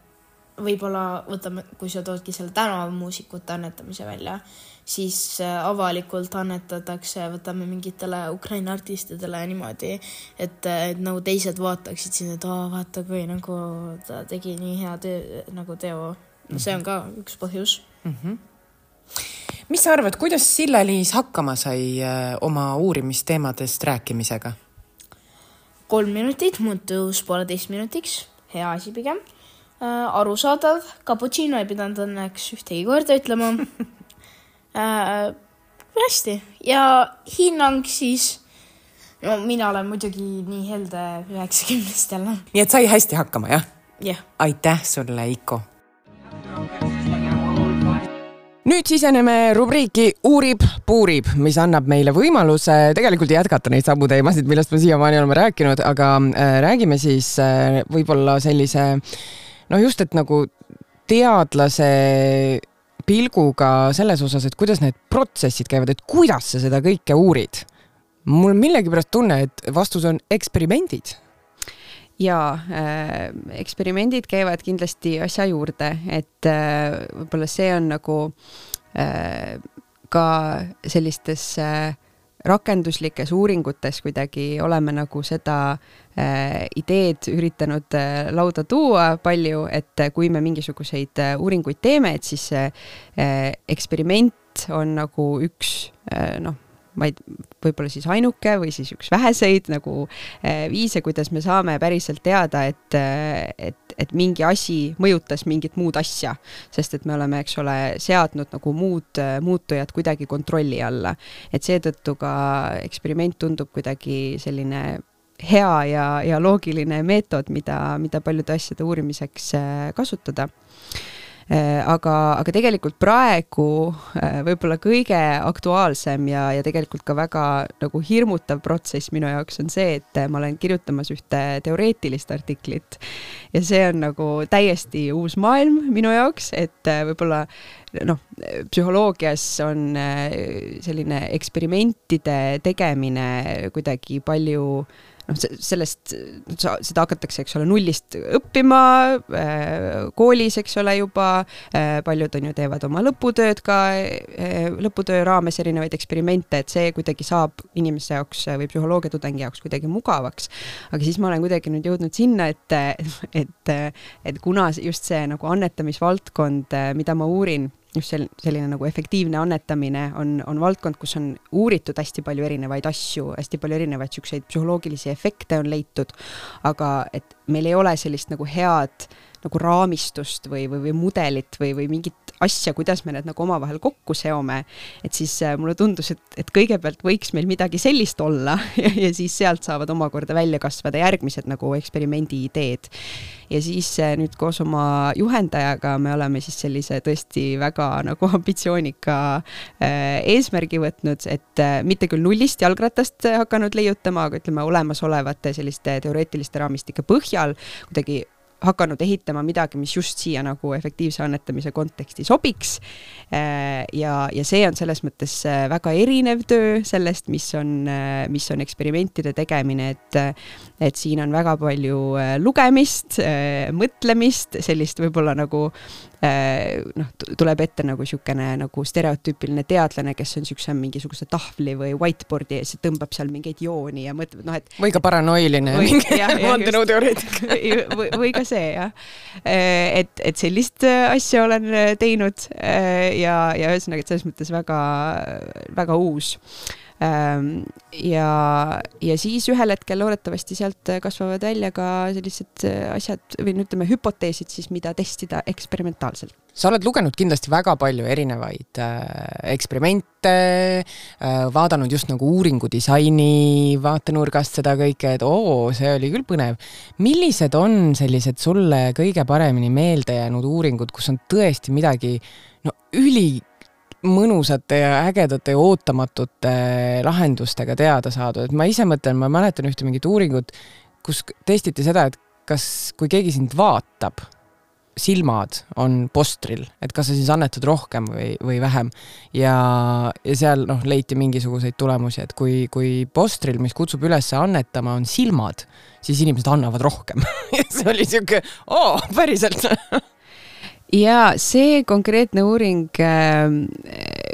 võib-olla võtame, kui sa toodki selle tänavamuusikute annetamise välja, siis avalikult annetatakse, võtame mingitele Ukraina artistidele niimoodi, et, et nagu teised vaataksid siin, et oh, vaata, kui nagu ta tegi nii hea teo, nagu teo. No see on ka üks põhjus. Mm-hmm. Mis sa arvad, kuidas Silla-Liis hakkama sai oma uurimisteemadest rääkimisega? Kolm minutit muutus pooleteist minutiks, hea asi pigem. Arusaadav, cappuccino ei pidanud õnneks ühtegi korda ütlema. Äh, hästi. Ja hinnang siis, no mina olen muidugi nii helde üheksakümnestele. Nii et sai hästi hakkama, jah? Jah. Aitäh sulle, Iko. Nüüd siseneme rubriiki Uurib, puurib, mis annab meile võimaluse tegelikult jätkata neid samu teemasid, millest me siiamaani oleme rääkinud, aga äh, räägime siis äh, võib-olla sellise, no just, et nagu teadlase pilguga selles osas, et kuidas need protsessid käivad, et kuidas sa seda kõike uurid. Mul millegipärast tunne, et vastus on eksperimendid. Jaa, äh, eksperimendid käivad kindlasti asja juurde, et äh, võib-olla see on nagu äh, ka sellistes äh, rakenduslikes uuringutes kuidagi oleme nagu seda äh, ideed üritanud äh, lauda tuua palju, et kui me mingisuguseid äh, uuringuid teeme, et siis äh, eksperiment on nagu üks äh, noh, vaid võib-olla siis ainuke või siis üks väheseid nagu äh, viise, kuidas me saame päriselt teada, et, et, et mingi asi mõjutas mingit muud asja, sest et me oleme, eks ole, seadnud nagu muud muutujad kuidagi kontrolli alla. Et seetõttu ka eksperiment tundub kuidagi selline hea ja, ja loogiline meetod, mida, mida paljude asjade uurimiseks kasutada. Aga, aga tegelikult praegu võib-olla kõige aktuaalsem ja, ja tegelikult ka väga nagu hirmutav protsess minu jaoks on see, et ma olen kirjutamas ühte teoreetilist artiklit ja see on nagu täiesti uus maailm minu jaoks, et võib-olla noh, psühholoogias on selline eksperimentide tegemine kuidagi palju noh, sellest, seda hakatakse, eks ole, nullist õppima koolis, eks ole, juba paljud on ju teevad oma lõputööd ka, lõputöö raames erinevaid eksperimente, et see kuidagi saab inimese jaoks või psühholoogia tudengi jaoks kuidagi mugavaks. Aga siis ma olen kuidagi nüüd jõudnud sinna, et, et, et kuna just see nagu annetamisvaldkond, mida ma uurin, just selline nagu efektiivne annetamine on, on valdkond, kus on uuritud hästi palju erinevaid asju, hästi palju erinevaid selliseid psühholoogilisi efekte on leitud, aga et meil ei ole sellist nagu head nagu raamistust või, või, või mudelit või, või mingit asja, kuidas me need nagu omavahel kokku seome, et siis mulle tundus, et, et kõigepealt võiks meil midagi sellist olla ja, ja siis sealt saavad omakorda välja kasvada järgmised nagu eksperimendi ideed. Ja siis nüüd koos oma juhendajaga me oleme siis sellise tõesti väga nagu ambitsioonika eesmärgi võtnud, et mitte küll nullist jalgratast hakanud leiutama, aga ütleme olemasolevate selliste teoreetiliste raamistike põhjal kuidagi hakanud ehitama midagi, mis just siia nagu efektiivse annetamise konteksti sobiks. Ja, ja see on selles mõttes väga erinev töö sellest, mis on, mis on eksperimentide tegemine, et, et siin on väga palju lugemist, mõtlemist, sellist võib-olla nagu noh, tuleb ette nagu siukene nagu stereotüüpiline teadlane, kes on siukse mingisuguse tahvli või whiteboardi ja see tõmbab seal mingeid jooni ja mõtleb, noh, et või ka paranoiline või, mingi vandenõuteoreetik. või, või ka see, jah. Et, et sellist asja olen teinud ja, ja ühesõnaga, et selles mõttes väga, väga uus. Ja, ja siis ühel hetkel loodetavasti sealt kasvavad välja ka sellised asjad või ütleme hüpoteesid siis, mida testida eksperimentaalselt. Sa oled lugenud kindlasti väga palju erinevaid äh, eksperimente, äh, vaadanud just nagu uuringudisaini vaatenurgast seda kõike, et oo, see oli küll põnev. Millised on sellised sulle kõige paremini meelde jäänud uuringud, kus on tõesti midagi no, üli mõnusate ja ägedate ja ootamatute lahendustega teada saadud. Et ma ise mõtlen, ma mäletan ühte mingit uuringut, kus testiti seda, et kas, kui keegi sind vaatab, silmad on postril, et kas sa siis annetad rohkem või, või vähem. Ja, ja seal noh, leiti mingisuguseid tulemusi, et kui, kui postril, mis kutsub üles annetama, on silmad, siis inimesed annavad rohkem. See oli siuke, oo, päriselt. Ja see konkreetne uuring,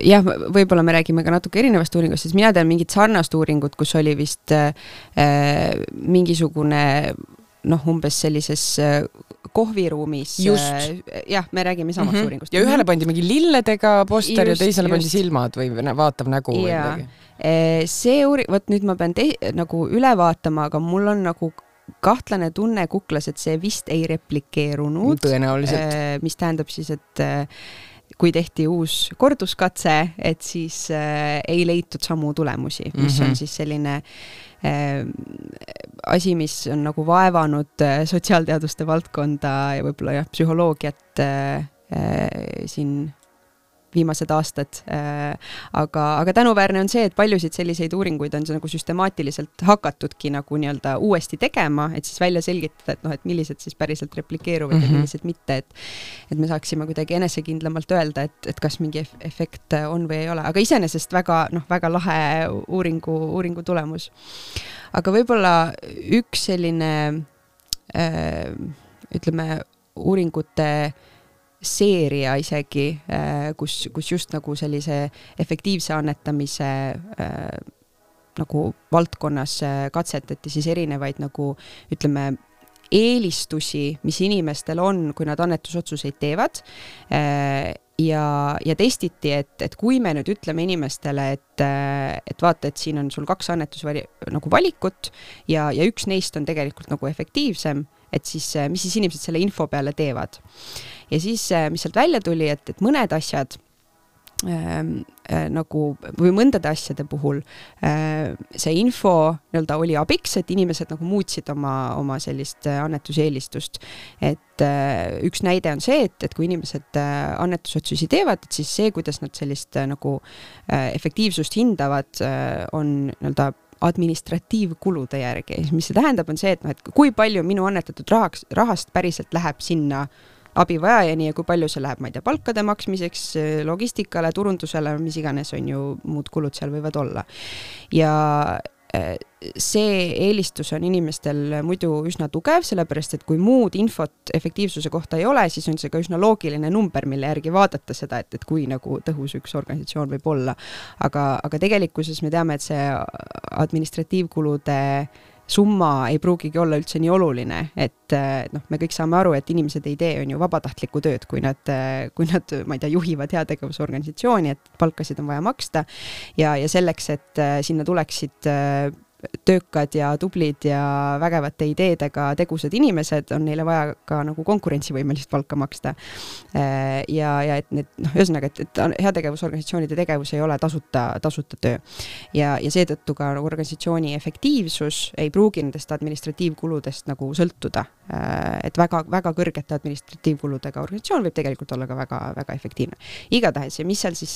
jah, võib-olla me räägime ka natuke erinevast uuringust, sest mina tean mingit sarnast uuringut, kus oli vist äh, mingisugune, noh, umbes sellises kohviruumis. Just. Jah, me räägime samast mm-hmm. uuringust. Ja ühele pandi mingi lilledega poster just, ja teisele just. Pandi silmad või vaatav nägu või midagi. See uuring, võt nüüd ma pean te, nagu üle vaatama, aga mul on nagu kahtlane tunne kuklas, et see vist ei replikeerunud. Tõenäoliselt. Mis tähendab siis, et kui tehti uus korduskatse, et siis ei leitud samu tulemusi, mis mm-hmm. on siis selline asi, mis on nagu vaevanud sotsiaalteaduste valdkonda ja võib-olla jah, psühholoogiat siin viimased aastad, aga, aga tänuväärne on see, et paljusid selliseid uuringuid on see nagu süstemaatiliselt hakatudki nagu nii-öelda uuesti tegema, et siis välja selgitada, et noh, et millised siis päriselt replikeeruvad mm-hmm. ja millised mitte, et, et me saaksime kuidagi enesekindlamalt öelda, et, et kas mingi efekt on või ei ole, aga iseenesest väga, noh, väga lahe uuringu, uuringu tulemus. Aga võib-olla üks selline äh, ütleme uuringute seeria isegi, kus, kus just nagu sellise efektiivse annetamise äh, nagu valdkonnas katsetati siis erinevaid nagu ütleme eelistusi, mis inimestel on, kui nad annetusotsuseid teevad äh, ja, ja testiti, et, et kui me nüüd ütleme inimestele, et, et vaata, et siin on sul kaks annetusvali, nagu valikut ja, ja üks neist on tegelikult nagu efektiivsem, et siis, mis siis inimesed selle info peale teevad. Ja siis, mis sealt välja tuli, et, et mõned asjad äh, äh, nagu, või mõndade asjade puhul äh, see info nii-öelda oli abiks, et inimesed nagu muutsid oma, oma sellist annetuseelistust. Et äh, üks näide on see, et, et kui inimesed äh, annetusotsusi teevad, et siis see, kuidas nad sellist äh, nagu äh, efektiivsust hindavad, äh, on nii-öelda administratiivkulude järgi. Mis see tähendab, on see, et, no, et kui palju minu annetatud rahaks, rahast päriselt läheb sinna abivajajani ja kui palju see läheb, ma ei tea, palkade maksmiseks, logistikale, turundusele, mis iganes on ju muud kulud seal võivad olla. Ja see eelistus on inimestel muidu üsna tugev, sellepärast, et kui muud infot efektiivsuse kohta ei ole, siis on see ka üsna loogiline number, mille järgi vaadata seda, et, et kui nagu tõhus üks organisatsioon võib olla. Aga, aga tegelikkuses me teame, et see administratiivkulude summa ei pruugigi olla üldse nii oluline, et noh, me kõik saame aru, et inimesed ei tee on ju vabatahtlikku tööd, kui nad, kui nad, ma ei tea, juhivad heategevusorganisatsiooni, et palkasid on vaja maksta ja, ja selleks, et sinna tuleksid töökad ja tublid ja vägevate ideedega tegusad inimesed, on neile vaja ka nagu konkurentsivõimelist palka maksta. Ja, ja et need, noh, ühesõnaga, et, et heategevusorganisatsioonide tegevus ei ole tasuta, tasuta töö. Ja, ja seetõttu ka organisatsiooni efektiivsus ei pruugi nendest administratiivkuludest nagu sõltuda. Et väga, väga kõrgete administratiivkuludega organisatsioon võib tegelikult olla ka väga, väga efektiivne. Igatahes, ja mis seal siis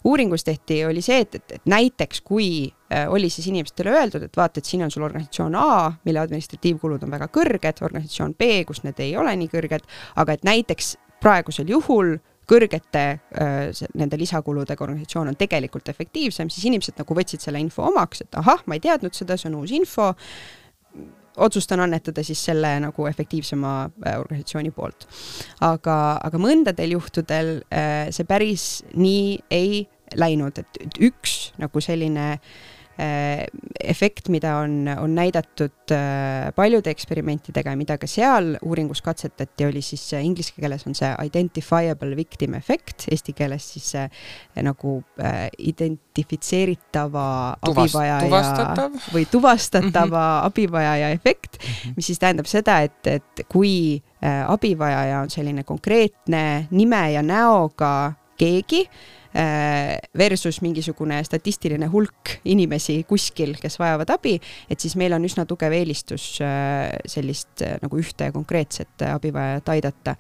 uuringus tehti, oli see, et, et, et näiteks kui oli siis inimestele öeldud, et vaata, et siin on sul organisatsioon A, mille administratiivkulud on väga kõrged, organisatsioon B, kus need ei ole nii kõrged, aga et näiteks praegusel juhul kõrgete nende lisakuludega organisatsioon on tegelikult efektiivsem, siis inimesed nagu võtsid selle info omaks, et ahah, ma ei teadnud seda, see on uus info, otsustan annetada siis selle nagu efektiivsema organisatsiooni poolt. Aga, aga mõndadel juhtudel see päris nii ei läinud, et üks nagu selline efekt, mida on, on näidatud paljude eksperimentidega ja mida ka seal uuringus katsetati, oli siis inglise keeles on see identifiable victim effect, eesti keeles siis see nagu identifitseeritava Tuvast, abivajaja tuvastatav. või tuvastatava mm-hmm. abivajaja efekt, mm-hmm. mis siis tähendab seda, et, et kui abivajaja on selline konkreetne nime ja näoga keegi, versus mingisugune statistiline hulk inimesi kuskil, kes vajavad abi, et siis meil on üsna tugev eelistus sellist nagu ühte konkreetset abivajajat aidata.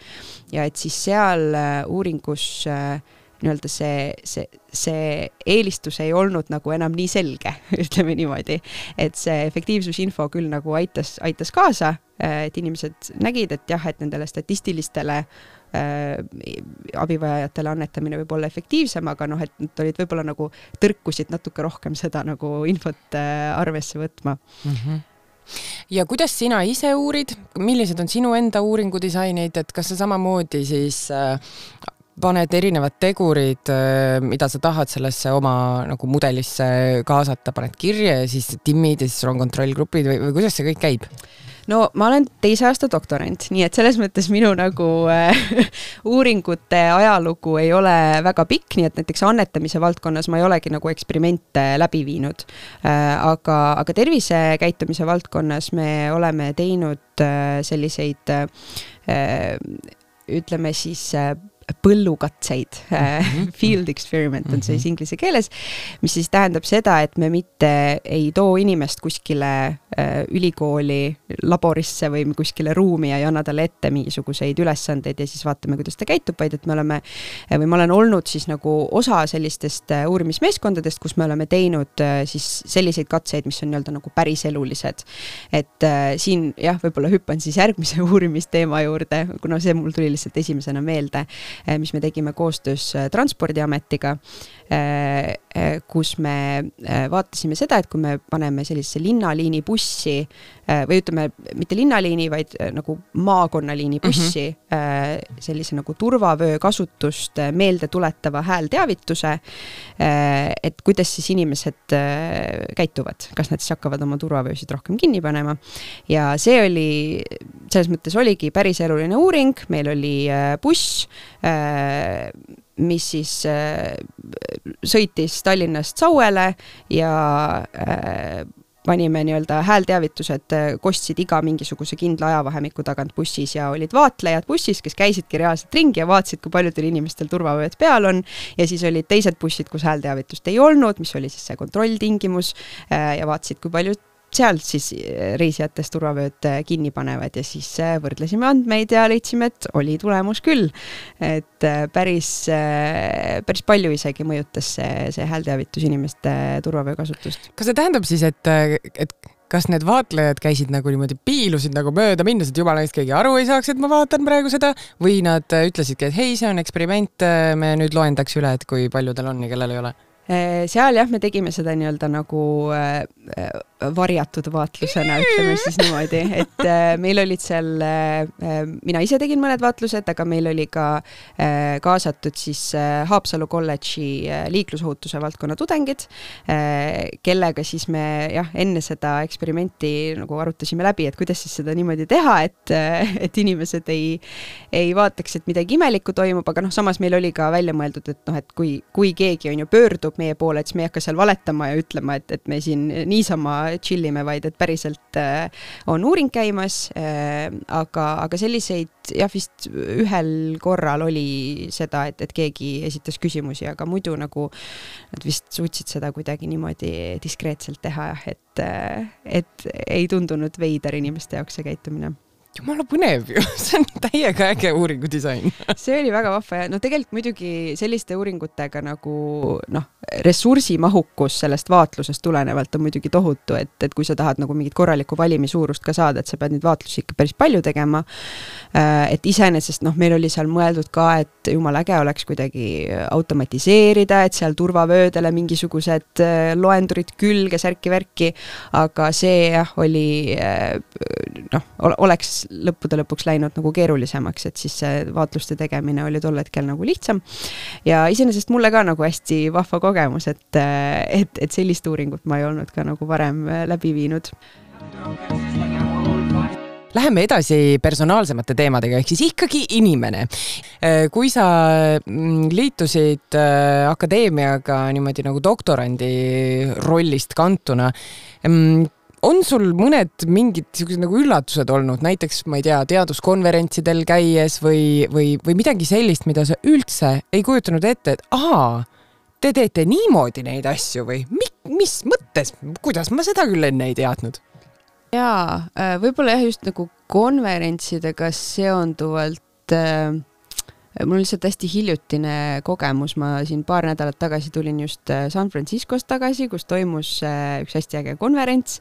Ja et siis seal uuringus nii-öelda see, see, see eelistus ei olnud nagu enam nii selge, ütleme niimoodi, et see efektiivsusinfo küll nagu aitas, aitas kaasa, et inimesed nägid, et jah, et nendele statistilistele abivajajatele annetamine võib olla efektiivsem, aga noh, et nad olid võib-olla nagu tõrkusid natuke rohkem seda nagu infot arvesse võtma. Mm-hmm. Ja kuidas sina ise uurid? Millised on sinu enda uuringudisainid, et kas sa samamoodi siis paned erinevad tegurid, mida sa tahad sellesse oma nagu mudelisse kaasata, paned kirja ja siis timmid ja siis on kontrollgrupid või, või kuidas see kõik käib? No ma olen teise aasta doktorant, nii et selles mõttes minu nagu äh, uuringute ajalugu ei ole väga pikk, nii et näiteks annetamise valdkonnas ma ei olegi nagu eksperimente läbi viinud. Äh, aga, aga tervisekäitumise valdkonnas me oleme teinud äh, selliseid äh, ütleme siis äh, põllukatseid, mm-hmm. field experiment on siis inglise keeles, mis siis tähendab seda, et me mitte ei too inimest kuskile äh, ülikooli laborisse või kuskile ruumi ja ei anna talle ette mingisuguseid ülesandeid ja siis vaatame, kuidas ta käitub, vaid et me oleme, või ma olen olnud siis nagu osa sellistest uurimismeeskondadest, kus me oleme teinud äh, siis selliseid katseid, mis on nii-öelda nagu päris elulised. Et äh, siin jah, võib-olla hüppan siis järgmise uurimisteema juurde, kuna see mul tuli lihtsalt esimesena meelde, mis me tegime koostöös Transpordiametiga, kus me vaatasime seda, et kui me paneme sellisesse linnaliini bussi või ütleme, mitte linnaliini, vaid nagu maakonnaliini bussi mm-hmm. sellise nagu turvavöö kasutust meelde tuletava häälteavituse, et kuidas siis inimesed käituvad, kas nad siis hakkavad oma turvavöösid rohkem kinni panema. Ja see oli, selles mõttes oligi päris eluline uuring, meil oli buss, mis siis sõitis Tallinnast Sauele ja panime nii-öelda häälteavitused, kostsid iga mingisuguse kindla ajavahemiku tagant bussis ja olid vaatlejad bussis, kes käisidki reaalselt ringi ja vaatasid, kui paljudel inimestel turvavööd peal on ja siis olid teised bussid, kus häälteavitust ei olnud, mis oli siis see kontrolltingimus ja vaatasid, kui palju seal siis reisijatest turvavööd kinni panevad ja siis võrdlesime andmeid ja leidsime, et oli tulemus küll. Et päris, päris palju isegi mõjutas see, see häälteavitus inimeste turvavöö kasutust. Kas see tähendab siis, et, et kas need vaatlejad käisid nagu niimoodi piilusid nagu mööda minnes, et jumala eest keegi aru ei saaks, et ma vaatan praegu seda, või nad ütlesidki, et hei, see on eksperiment, me nüüd loendaks üle, et kui palju tal on ja kellel ei ole? Seal jah, me tegime seda nii-öelda nagu varjatud vaatlusena, ütleme siis niimoodi, et meil olid seal, mina ise tegin mõned vaatlused, aga meil oli ka kaasatud siis Haapsalu kolledži liiklusohutuse valdkonna tudengid, kellega siis me jah, enne seda eksperimenti nagu arutasime läbi, et kuidas siis seda niimoodi teha, et, et inimesed ei, ei vaataks, et midagi imelikku toimub, aga noh, samas meil oli ka välja mõeldud, et noh, et kui, kui keegi on ju pöördub meie poole, et siis me ei hakka seal valetama ja ütlema, et, et me siin niisama chillime, vaid et päriselt äh, on uuring käimas, äh, aga, aga selliseid jah, vist ühel korral oli seda, et, et keegi esitas küsimusi, aga muidu nagu nad vist suutsid seda kuidagi niimoodi diskreetselt teha, et, äh, et ei tundunud veider inimeste jaoks see käitumine. Jumala põnev ju, see on täiega äge uuringudisain. See oli väga vahva ja no tegelikult muidugi selliste uuringutega nagu noh, ressursimahukus sellest vaatlusest tulenevalt on muidugi tohutu, et, et kui sa tahad nagu mingit korralikku valimisuurust ka saada, et sa pead neid vaatlusi ikka päris palju tegema. Et iseenesest noh, meil oli seal mõeldud ka, et jumal äge oleks kuidagi automatiseerida, et seal turvavöödele mingisugused loendurid külge, särki-värki, aga see jah, oli noh, oleks lõppude lõpuks läinud nagu keerulisemaks, et siis see vaatluste tegemine oli tol hetkel nagu lihtsam. Ja iseenesest mulle ka nagu hästi vahva kogemus, et, et, et sellist uuringut ma ei olnud ka nagu varem läbi viinud. Läheme edasi personaalsemate teemadega, ehk siis ikkagi inimene. Kui sa liitusid akadeemiaga niimoodi nagu doktorandi rollist kantuna, on sul mõned mingid nagu üllatused olnud, näiteks, ma ei tea, teaduskonverentsidel käies või, või, või midagi sellist, mida sa üldse ei kujutanud ette, et ahaa, te teete niimoodi neid asju või mis mõttes, kuidas ma seda küll enne ei teadnud? Jaa, võib-olla jah, just nagu konverentsidega seonduvalt mul on lihtsalt hästi hiljutine kogemus, ma siin paar nädalat tagasi tulin just San Franciscost tagasi, kus toimus üks hästi äge konverents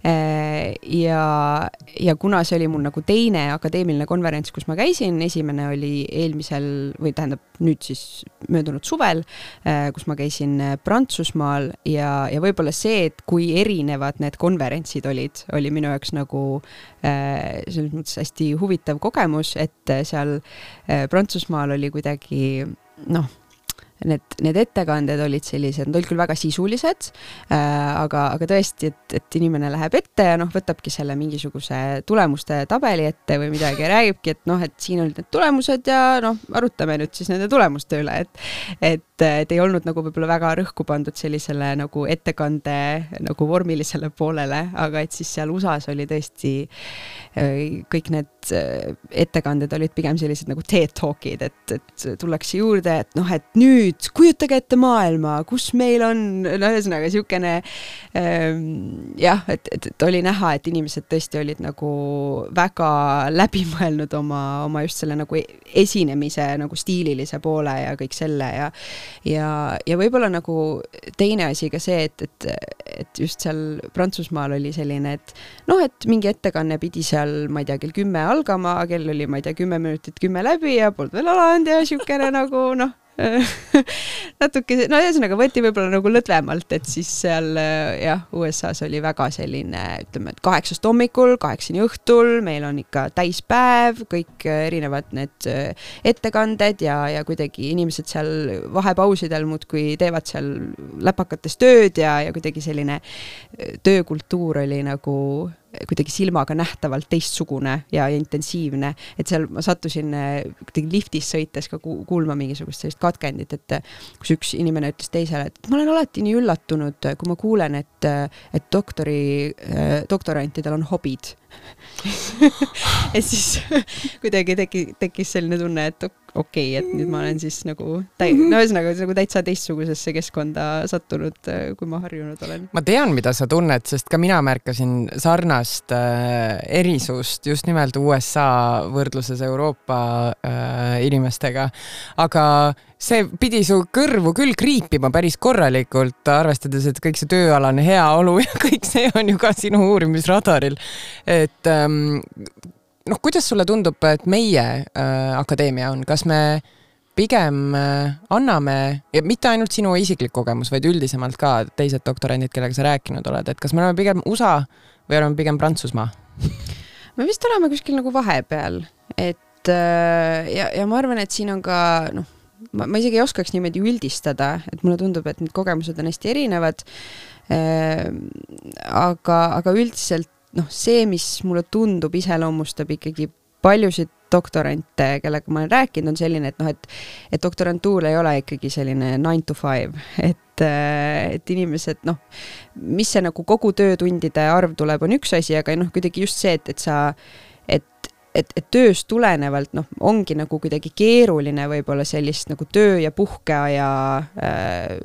ja, ja kuna see oli mul nagu teine akadeemiline konverents, kus ma käisin, esimene oli eelmisel, või tähendab nüüd siis möödunud suvel, kus ma käisin Prantsusmaal ja, ja võib-olla see, et kui erinevad need konverentsid olid, oli minu jaoks nagu selles mõttes hästi huvitav kogemus, et seal Prantsusmaal oli kuidagi, noh, need, need ettekanded olid sellised, nad olid küll väga sisulised, aga, aga tõesti, et, et inimene läheb ette ja noh, võtabki selle mingisuguse tulemuste tabeli ette või midagi ja räägibki, et noh, et siin olid need tulemused ja noh, arutame nüüd siis nende tulemuste üle, et, et, et ei olnud nagu võib-olla väga rõhku pandud sellisele nagu ettekande nagu vormilisele poolele, aga et siis seal U S A-s oli tõesti kõik need ettekanded olid pigem sellised nagu TED Talkid, et, et tullakse juurde, et noh, et nüüd kujutage ette maailma, kus meil on, no ühesõnaga siukene ähm, jah, et, et, et oli näha, et inimesed tõesti olid nagu väga läbimõelnud oma, oma just selle nagu esinemise nagu stiililise poole ja kõik selle ja, ja, ja võib-olla nagu teine asi ka see, et, et, et just seal Prantsusmaal oli selline, et noh, et mingi ettekanne pidi seal, ma ei tea, kell kümme algama, kell oli, ma ei tea, kümme minutit kümme läbi ja polnud veel alanud ja siukene nagu noh, natuke, no ühesõnaga võeti võib-olla nagu lõdvemalt, et siis seal jah, U S A-s oli väga selline, ütleme, et kaheksast hommikul, kaheksani õhtul, meil on ikka täispäev, kõik erinevad need ettekanded ja, ja kuidagi inimesed seal vahepausidel muudkui teevad seal läpakates tööd ja, ja kuidagi selline töökultuur oli nagu kuidagi silmaga nähtavalt teistsugune ja intensiivne, et seal ma sattusin kuidagi liftis sõites ka kuulma mingisugust sellist katkendit, et kus üks inimene ütles teisele, et ma olen alati nii üllatunud, kui ma kuulen, et, et doktori, doktorantidel on hobid. Et siis kuidagi teki, tekkis selline tunne, et okei, okay, et nüüd ma olen siis nagu, täi, no ühesõnaga nagu täitsa teistsugusesse keskkonda sattunud, kui ma harjunud olen. Ma tean, mida sa tunned, sest ka mina märkasin sarnast äh, erisust just nimelt U S A võrdluses Euroopa äh, inimestega, aga see pidi su kõrvu küll kriipima päris korralikult, arvestades, et kõik see tööalane heaolu ja kõik see on ju ka sinu uurimisradaril. Et ähm, noh, kuidas sulle tundub, et meie äh, akadeemia on? Kas me pigem äh, anname, ja mitte ainult sinu isiklik kogemus, vaid üldisemalt ka teised doktorandid, kellega sa rääkinud oled, et kas me oleme pigem U S A või oleme pigem Prantsusmaa? Me vist oleme kuskil nagu vahepeal, et äh, ja, ja ma arvan, et siin on ka noh, Ma, ma isegi ei oskaks niimoodi üldistada, et mulle tundub, et need kogemused on hästi erinevad, äh, aga, aga üldiselt noh, see, mis mulle tundub, iseloomustab ikkagi paljusid doktorante, kellega ma olen rääkinud, on selline, et noh, et, et doktorantuur ei ole ikkagi selline nine to five, et, et inimesed, noh, mis see nagu kogu töötundide arv tuleb, on üks asi, aga noh, kuidagi just see, et, et sa, et et, et tööst tulenevalt, noh, ongi nagu kuidagi keeruline võib-olla sellist nagu töö ja puhkeaja äh,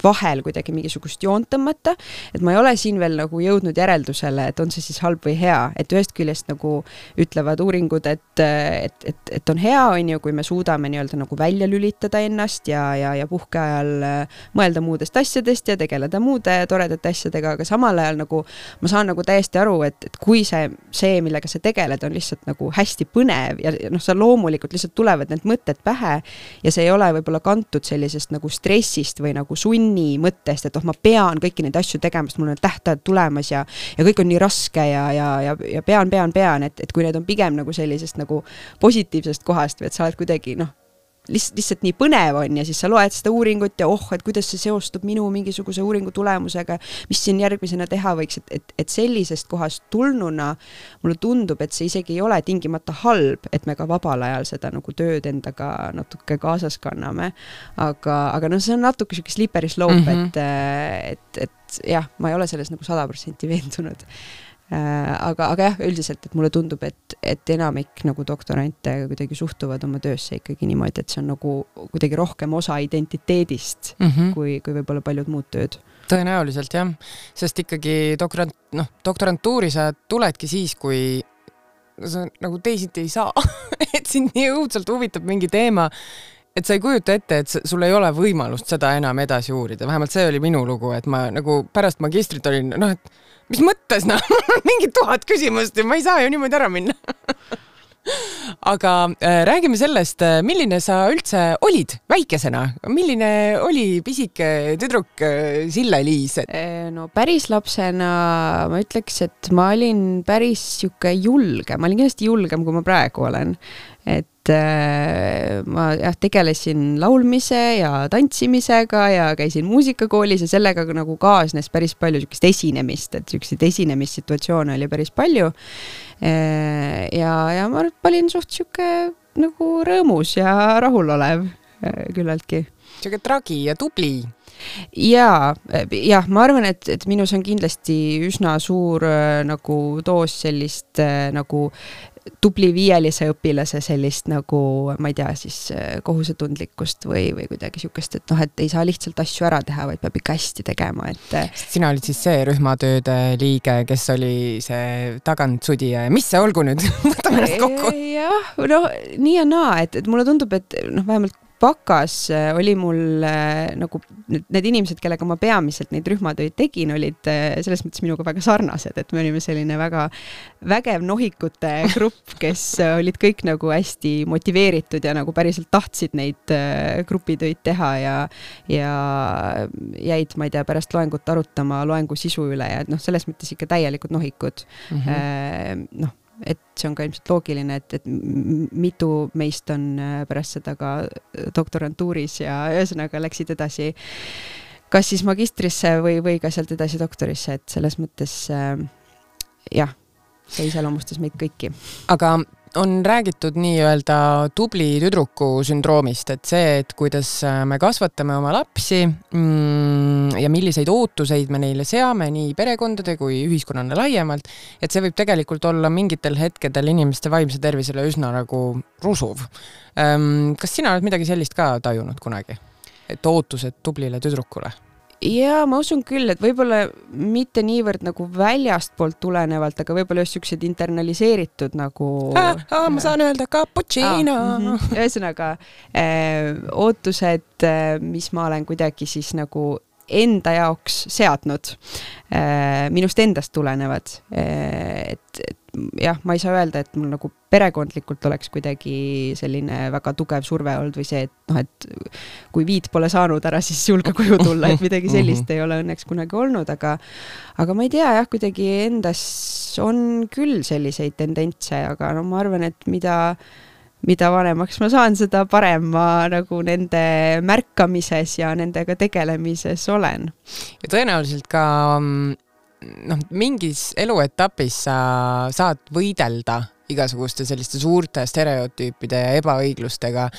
vahel kuidagi mingisugust joont tõmmata, et ma ei ole siin veel nagu jõudnud järeldusele, et on see siis halb või hea, et ühest küljest nagu ütlevad uuringud, et, et, et, et on hea, on ju, kui me suudame nii-öelda nagu välja lülitada ennast ja, ja, ja puhkeajal mõelda muudest asjadest ja tegeleda muude toredate asjadega, aga samal ajal nagu ma saan nagu täiesti aru, et, et kui see, see, millega sa tegeled, on lihtsalt nagu hästi põnev ja noh, sa loomulikult lihtsalt tulevad need mõtted pähe ja see ei ole võib-olla kantud sellisest nagu stressist või nagu sunni mõttest, et oh, ma pean kõiki neid asju tegema, sest mul on tähtajad tulemas ja, ja kõik on nii raske ja, ja, ja, ja pean, pean, pean, et, et kui need on pigem nagu sellisest nagu positiivsest kohast või et sa oled kuidagi noh, Lihtsalt, lihtsalt nii põnev on ja siis sa loed seda uuringut ja oh, et kuidas see seostub minu mingisuguse uuringu tulemusega, mis siin järgmisena teha võiks, et, et, et sellisest kohast tulnuna mulle tundub, et see isegi ei ole tingimata halb, et me ka vabal ajal seda nagu tööd endaga natuke kaasas kanname, aga, aga no see on natuke siuke slippery slope, mm -hmm. et, et, et jah, ma ei ole selles nagu sada protsenti veendunud. Aga, aga jah, üldiselt, et mulle tundub, et, et enamik nagu doktorante kuidagi suhtuvad oma töösse ikkagi niimoodi, et see on nagu kuidagi rohkem osa identiteedist mm -hmm. kui, kui võib-olla paljud muud tööd. Tõenäoliselt jah, sest ikkagi doktorant, noh, doktorantuuri sa tuledki siis, kui sa nagu teisiti ei saa, et sind nii õudselt huvitab mingi teema, et sa ei kujuta ette, et sul ei ole võimalust seda enam edasi uurida. Vähemalt see oli minu lugu, et ma nagu pärast magistrit olin, noh, et mis mõttes, noh, mingi tuhat küsimust ja ma ei saa ju niimoodi ära minna. Aga äh, räägime sellest, milline sa üldse olid väikesena? Milline oli pisike tüdruk äh, Sille-Liis? No päris lapsena ma ütleks, et ma olin päris siuke julge. Ma olin kindlasti julgem, kui ma praegu olen. Et äh, ma jah, tegelesin laulmise ja tantsimisega ja käisin muusikakoolis ja sellega nagu kaasnes päris palju siukest esinemist, et siukseid esinemissituatsioone oli päris palju. Äh, ja, ja ma olin suht siuke nagu rõõmus ja rahulolev äh, küllaltki. Siuke tragi ja tubli. Ja, jah, ma arvan, et, et minus on kindlasti üsna suur äh, nagu doos sellist äh, nagu tubli viielise õpilase sellist nagu, ma ei tea, siis kohusetundlikkust või, või kuidagi siukest, et noh, et ei saa lihtsalt asju ära teha, vaid peab ikka hästi tegema, et... Sina olid siis see rühmatööde liige, kes oli see tagantsudija ja mis see olgu nüüd? Võtame ennast kokku. Jah, no nii ja naa, et, et mulle tundub, et noh, vähemalt Bakas oli mul nagu need inimesed, kellega ma peamiselt neid rühmatöid tegin, olid selles mõttes minuga väga sarnased, et me olime selline väga vägev nohikute grupp, kes olid kõik nagu hästi motiveeritud ja nagu päriselt tahtsid neid grupitöid teha ja, ja jäid, ma ei tea, pärast loengut arutama loengu sisu üle ja noh, selles mõttes ikka täielikud nohikud. Mm-hmm. Noh, et see on ka ilmselt loogiline, et, et mitu meist on pärast seda ka doktorantuuris ja ühesõnaga läksid edasi kas siis magistrisse või, või ka sealt edasi doktorisse, et selles mõttes jah, see iseloomustas meid kõiki. Aga on räägitud nii-öelda tubli tüdruku sündroomist, et see, et kuidas me kasvatame oma lapsi mm, ja milliseid ootuseid me neile seame nii perekondade kui ühiskonnana laiemalt, et see võib tegelikult olla mingitel hetkedel inimeste vaimse tervisele üsna nagu rusuv. Kas sina oled midagi sellist ka tajunud kunagi? Et ootused tublile tüdrukule? Ja ma usun küll, et võib-olla mitte niivõrd nagu väljast poolt tulenevalt, aga võib-olla just siuksed internaliseeritud nagu... Ah, ah, ma saan öelda cappuccino. Ah, mm-hmm. Ühesõnaga, äh, ootused, mis ma olen kuidagi siis nagu enda jaoks seadnud, äh, minust endast tulenevad. Äh, et, et jah, ma ei saa öelda, et mul nagu perekondlikult oleks kuidagi selline väga tugev surve olnud või see, et noh, et kui viid pole saanud ära, siis julge koju tulla, et midagi sellist ei ole õnneks kunagi olnud, aga, aga ma ei tea, jah, kuidagi endas on küll selliseid tendentse, aga no ma arvan, et mida mida vanemaks ma saan, seda parem ma nagu nende märkamises ja nendega tegelemises olen. Ja tõenäoliselt ka noh, mingis eluetapis sa saad võidelda igasuguste selliste suurte stereotüüpide ja ebaõiglustega,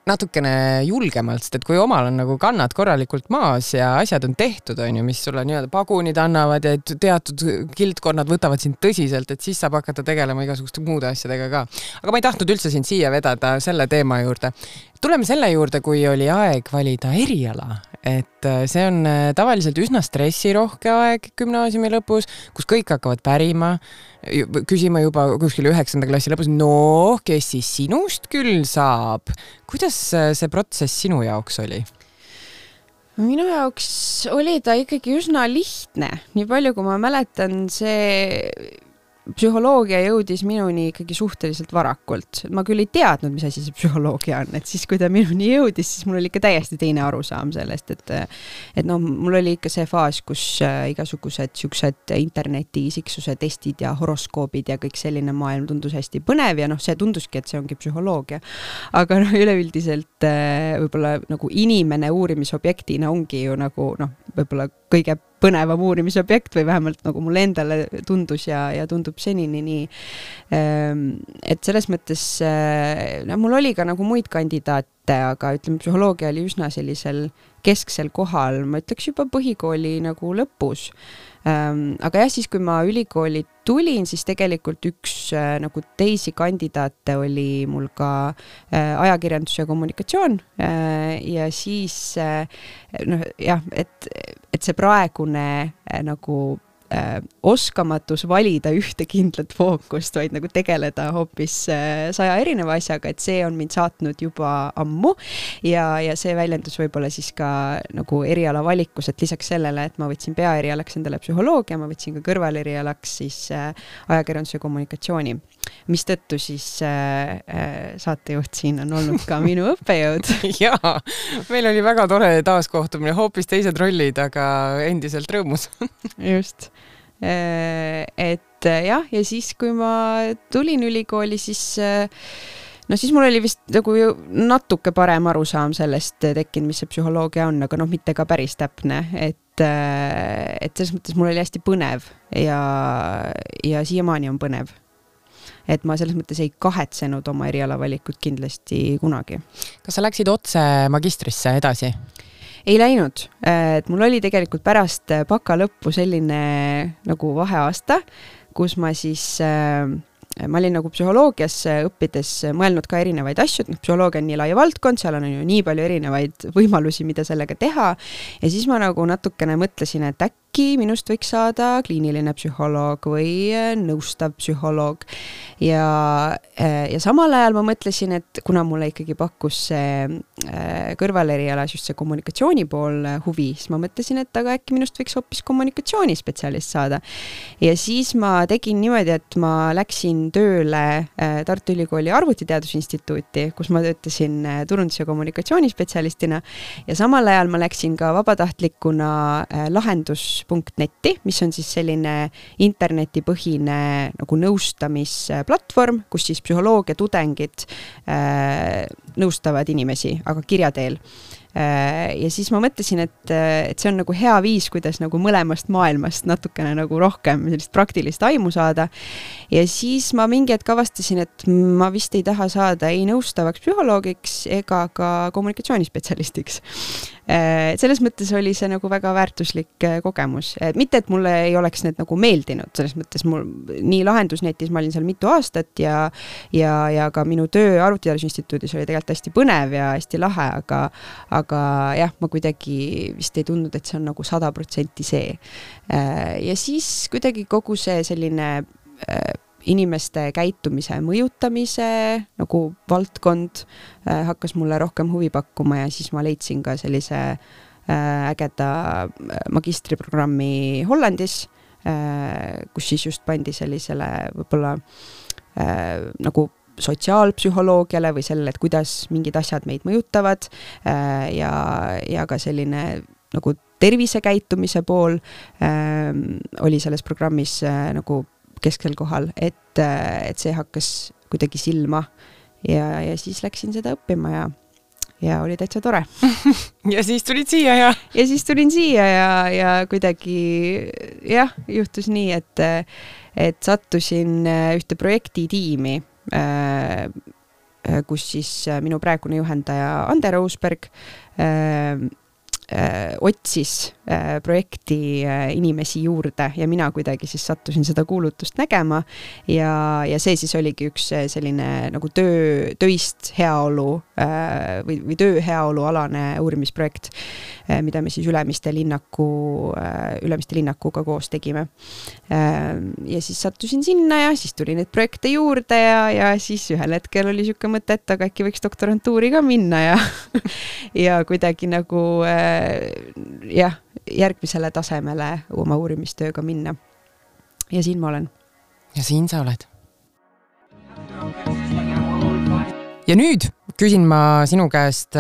natukene julgemalt, sest et kui omal on nagu kannad korralikult maas ja asjad on tehtud, on ju, mis sulle nii-öelda pagunid annavad ja teatud kildkonnad võtavad sind tõsiselt, et siis saab hakata tegelema igasuguste muude asjadega ka. Aga ma ei tahtnud üldse sind siia vedada selle teema juurde. Tuleme selle juurde, kui oli aeg valida eriala, et see on tavaliselt üsna stressirohke aeg gümnaasiumi lõpus, kus kõik hakkavad pärima, küsima juba kuskil üheksanda klassi lõpus, no, kes siis sinust küll saab? Kuidas see protsess sinu jaoks oli? Minu jaoks oli ta ikkagi üsna lihtne. Nii palju, kui ma mäletan, see psühholoogia jõudis minuni ikkagi suhteliselt varakult. Ma küll ei teadnud, mis asi see psühholoogia on, et siis, kui ta minuni jõudis, siis mul oli ikka täiesti teine arusaam sellest, et, et no, mul oli ikka see faas, kus igasugused siuksed interneti isiksuse testid ja horoskoobid ja kõik selline maailm tundus hästi põnev ja noh, see tunduski, et see ongi psühholoogia. Aga noh, üleüldiselt võib-olla nagu inimene uurimisobjektina ongi ju nagu noh, võib-olla kõige põnevam uurimisobjekt või vähemalt nagu mulle endale tundus ja, ja tundub senini nii. Et selles mõttes, no mul oli ka nagu muid kandidaate, aga ütleme, psühholoogia oli üsna sellisel kesksel kohal, ma ütleks juba põhikooli nagu lõpus. Aga jah, siis kui ma ülikooli tulin, siis tegelikult üks nagu teisi kandidaate oli mul ka ajakirjandus ja kommunikatsioon ja siis noh, jah, et, et see praegune nagu äh, oskamatus valida ühte kindlat fookust, vaid nagu tegeleda hoopis äh, saja erineva asjaga, et see on mind saatnud juba ammu ja, ja see väljendus võib-olla siis ka nagu eriala valikus, et lisaks sellele, et ma võtsin peaerialaks endale psühholoogia, ma võtsin ka kõrvalerialaks siis äh, ajakirjandus ja kommunikatsiooni, mis tõttu siis äh, äh, saatejuht siin on olnud ka minu õppejõud. Jaa, meil oli väga tore taaskohtumine, hoopis teised rollid, aga endiselt rõõmus. Just. Et jah, ja siis kui ma tulin ülikooli, siis no siis mul oli vist nagu natuke parem arusaam sellest tekkinud, mis see psühholoogia on, aga noh, mitte ka päris täpne, et, et selles mõttes mul oli hästi põnev ja, ja siiamaani on põnev. Et ma selles mõttes ei kahetsenud oma erialavalikut kindlasti kunagi. Kas sa läksid otse magistrisse edasi? Ei läinud, et mul oli tegelikult pärast baka lõppu selline nagu vaheaasta, kus ma siis, ma olin nagu psühholoogias õppides mõelnud ka erinevaid asju, et psühholoogia on nii lai valdkond, seal on ju nii palju erinevaid võimalusi, mida sellega teha ja siis ma nagu natukene mõtlesin, et äkki minust võiks saada kliiniline psühholoog või nõustav psühholoog ja, ja samal ajal ma mõtlesin, et kuna mulle ikkagi pakkus see kõrvalerialas just see kommunikatsiooni pool huvi, siis ma mõtlesin, et aga äkki minust võiks hoopis kommunikatsioonispetsialist saada ja siis ma tegin niimoodi, et ma läksin tööle Tartu Ülikooli arvutiteadusinstituuti, kus ma töötasin turundus- ja kommunikatsioonispetsialistina ja samal ajal ma läksin ka vabatahtlikuna lahendus punkt netti, mis on siis selline internetipõhine nagu nõustamisplatvorm, kus siis psühholoogia tudengid äh, nõustavad inimesi, aga kirja teel. Ja siis ma mõtlesin, et, et see on nagu hea viis, kuidas nagu mõlemast maailmast natukene nagu rohkem sellist praktilist aimu saada. Ja siis ma mingi hetk avastasin, et ma vist ei taha saada ei nõustavaks psühholoogiks ega ka kommunikatsioonispetsialistiks. Selles mõttes oli see nagu väga väärtuslik kogemus. Mitte, et mulle ei oleks need nagu meeldinud, selles mõttes mul nii lahendusnetis ma olin seal mitu aastat ja, ja, ja ka minu töö arvutiteadusinstituudis oli tegelikult hästi põnev ja hästi lahe, aga aga jah, ma kuidagi vist ei tundnud, et see on nagu sada protsenti see. Ja siis kuidagi kogu see selline inimeste käitumise mõjutamise nagu valdkond hakkas mulle rohkem huvi pakkuma ja siis ma leidsin ka sellise ägeda magistriprogrammi Hollandis, kus siis just pandi sellisele võib-olla nagu sotsiaalpsühholoogiale või sellele, et kuidas mingid asjad meid mõjutavad ja, ja ka selline nagu tervisekäitumise pool äh, oli selles programmis äh, nagu keskel kohal, et, et see hakkas kuidagi silma ja, ja siis läksin seda õppima ja, ja oli täitsa tore. Ja siis tulid siia ja? Ja siis tulin siia ja, ja kuidagi jah, juhtus nii, et, et sattusin ühte projektitiimi kus siis minu praegune juhendaja Ande Roosberg äh, otsis projekti inimesi juurde ja mina kuidagi siis sattusin seda kuulutust nägema ja, ja see siis oligi üks selline nagu töö, töist heaolu või, või töö heaolu alane uurimisprojekt, mida me siis Ülemiste linnaku, Ülemiste linnakuga koos tegime. Ja siis sattusin sinna ja siis tuli neid projekte juurde ja, ja siis ühel hetkel oli siuke mõte, et aga äkki võiks doktorantuuri ka minna ja, ja kuidagi nagu jah, järgmisele tasemele oma uurimistööga minna. Ja siin ma olen. Ja siin sa oled. Ja nüüd küsin ma sinu käest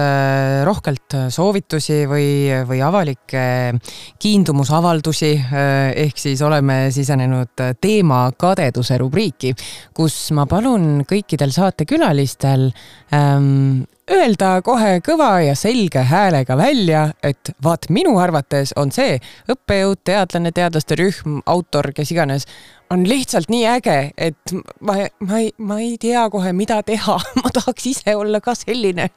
rohkelt soovitusi või, või avalikke kiindumusavaldusi, ehk siis oleme sisenenud teema kadeduse rubriiki, kus ma palun kõikidel saatekülalistel ähm, öelda kohe kõva ja selge häälega välja, et vaat minu arvates on see õppejõud, teadlane, teadlaste rühm, autor, kes iganes, on lihtsalt nii äge, et ma, ma, ei, ma ei tea kohe, mida teha. Ma tahaks ise olla ka selline.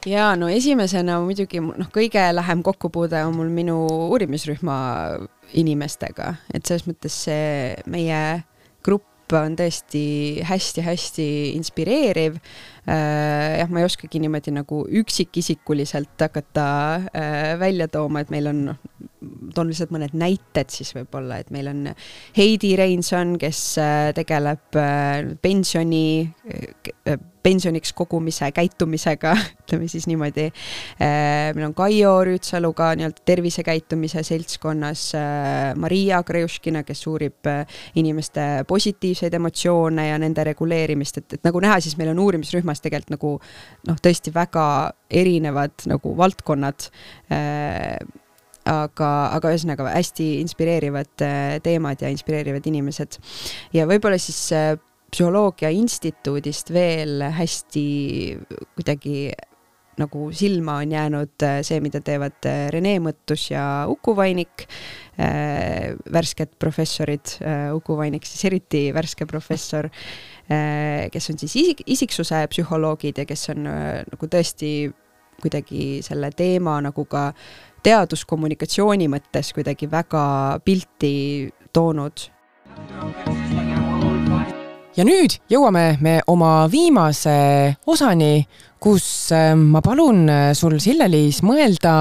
Ja no esimesena muidugi noh, kõige lähem kokkupuude on mul minu uurimisrühma inimestega, et selles mõttes see meie grupp on tõesti hästi-hästi inspireeriv. Jah, ma ei oskagi niimoodi nagu üksikisikuliselt hakata välja tooma, et meil on, toon lihtsalt mõned näited siis võib-olla, et meil on Heidi Reinson, kes tegeleb pensioni, pensioniks kogumise käitumisega, ütleme siis niimoodi. Meil on Kaio Rüütsaluga nii-öelda tervisekäitumise seltskonnas, Maria Kreuškina, kes uurib inimeste positiivseid emotsioone ja nende reguleerimist, et, et nagu näha, siis meil on uurimisrühmas tegelikult nagu noh, tõesti väga erinevad nagu valdkonnad, aga, aga ühesõnaga hästi inspireerivad teemad ja inspireerivad inimesed. Ja võib-olla siis psühholoogia instituudist veel hästi kuidagi nagu silma on jäänud see, mida teevad Rene Mõttus ja Uku Vainik, värsked professorid, Uku Vainik siis eriti värske professor, kes on siis isik, isiksuse psühholoogid ja kes on nagu tõesti kuidagi selle teema nagu ka teaduskommunikatsiooni mõttes kuidagi väga pilti toonud. Ja nüüd jõuame me oma viimase osani, kus ma palun sul, Sille-Liis, mõelda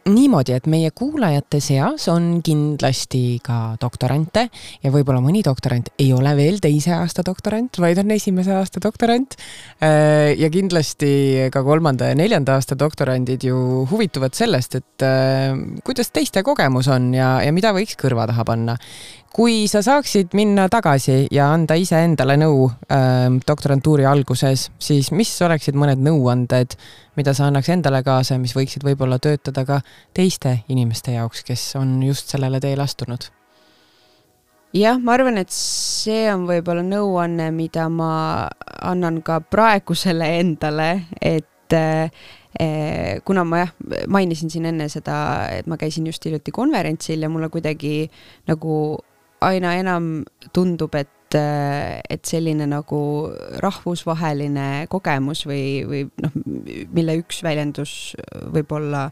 niimoodi, et meie kuulajate seas on kindlasti ka doktorante ja võib-olla mõni doktorant ei ole veel teise aasta doktorant, vaid on esimese aasta doktorant. Ja kindlasti ka kolmanda ja neljanda aasta doktorandid ju huvituvad sellest, et kuidas teiste kogemus on ja, ja mida võiks kõrva taha panna. Kui sa saaksid minna tagasi ja anda ise endale nõu äh, doktorantuuri alguses, siis mis oleksid mõned nõuanded, mida sa annaks endale kaasa, mis võiksid võib-olla töötada ka teiste inimeste jaoks, kes on just sellele teele astunud? Jah, ma arvan, et see on võib-olla nõuanne, mida ma annan ka praegusele endale, et eh, kuna ma jah, mainisin siin enne seda, et ma käisin just hiljuti konverentsil ja mulle kuidagi nagu aina enam tundub, et, et selline nagu rahvusvaheline kogemus või, või noh, mille üks väljendus võib olla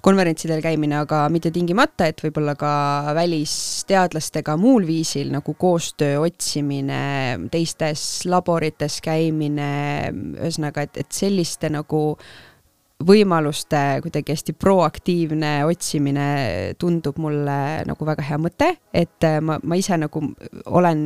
konverentsidel käimine, aga mitte tingimata, et võib-olla ka välisteadlastega muul viisil nagu koostöö otsimine, teistes laborites käimine, ühesõnaga, et, et selliste nagu võimaluste kuidagi hästi proaktiivne otsimine tundub mulle nagu väga hea mõte, et ma, ma ise nagu olen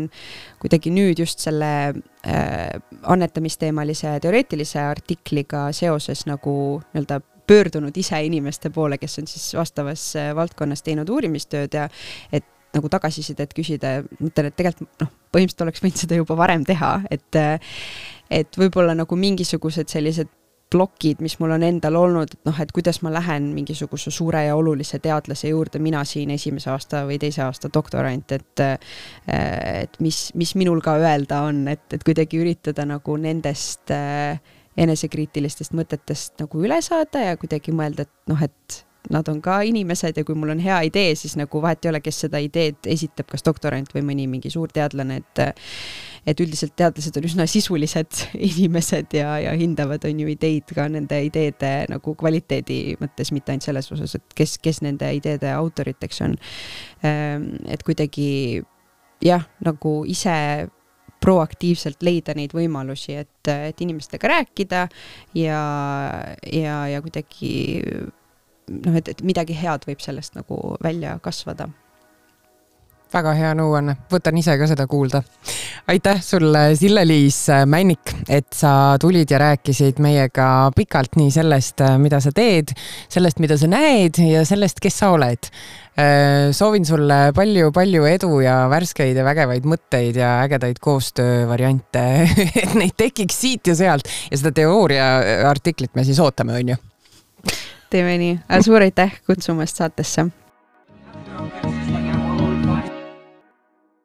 kuidagi nüüd just selle äh, annetamisteemalise teoreetilise artikliga seoses nagu nii-öelda pöördunud ise inimeste poole, kes on siis vastavas valdkonnas teinud uurimistööd ja et nagu tagasisidet küsida, mõtlen, et tegelikult noh, põhimõtteliselt oleks võinud seda juba varem teha, et, et võib-olla nagu mingisugused sellised plokid, mis mul on endal olnud, et noh, et kuidas ma lähen mingisuguse suure ja olulise teadlase juurde, mina siin esimese aasta või teise aasta doktorant, et, et mis, mis minul ka öelda on, et, et kuidagi üritada nagu nendest enesekriitilistest mõtetest nagu üle saada ja kuidagi mõelda, et noh, et nad on ka inimesed ja kui mul on hea idee, siis nagu vahet ei ole, kes seda ideed esitab, kas doktorant või mõni mingi suur teadlane, et et üldiselt teadlased on üsna sisulised inimesed ja, ja hindavad on ju ideid ka nende ideede nagu kvaliteedi mõttes, mitte ainult selles osas, et kes, kes nende ideede autoriteks on. Et kuidagi jah, nagu ise proaktiivselt leida neid võimalusi, et, et inimestega rääkida ja, ja, ja kuidagi noh, et, et midagi head võib sellest nagu välja kasvada. Väga hea nõuanne, võtan ise ka seda kuulda. Aitäh sulle, Sille-Liis Männik, et sa tulid ja rääkisid meiega pikalt nii sellest, mida sa teed, sellest, mida sa näed ja sellest, kes sa oled. Soovin sulle palju-palju edu ja värskeid ja vägevaid mõtteid ja ägedaid koostöövariante, et neid tekiks siit ja sealt ja seda teooria artiklit me siis ootame, on ju? Teeme nii. Suur aitäh kutsumast saatesse.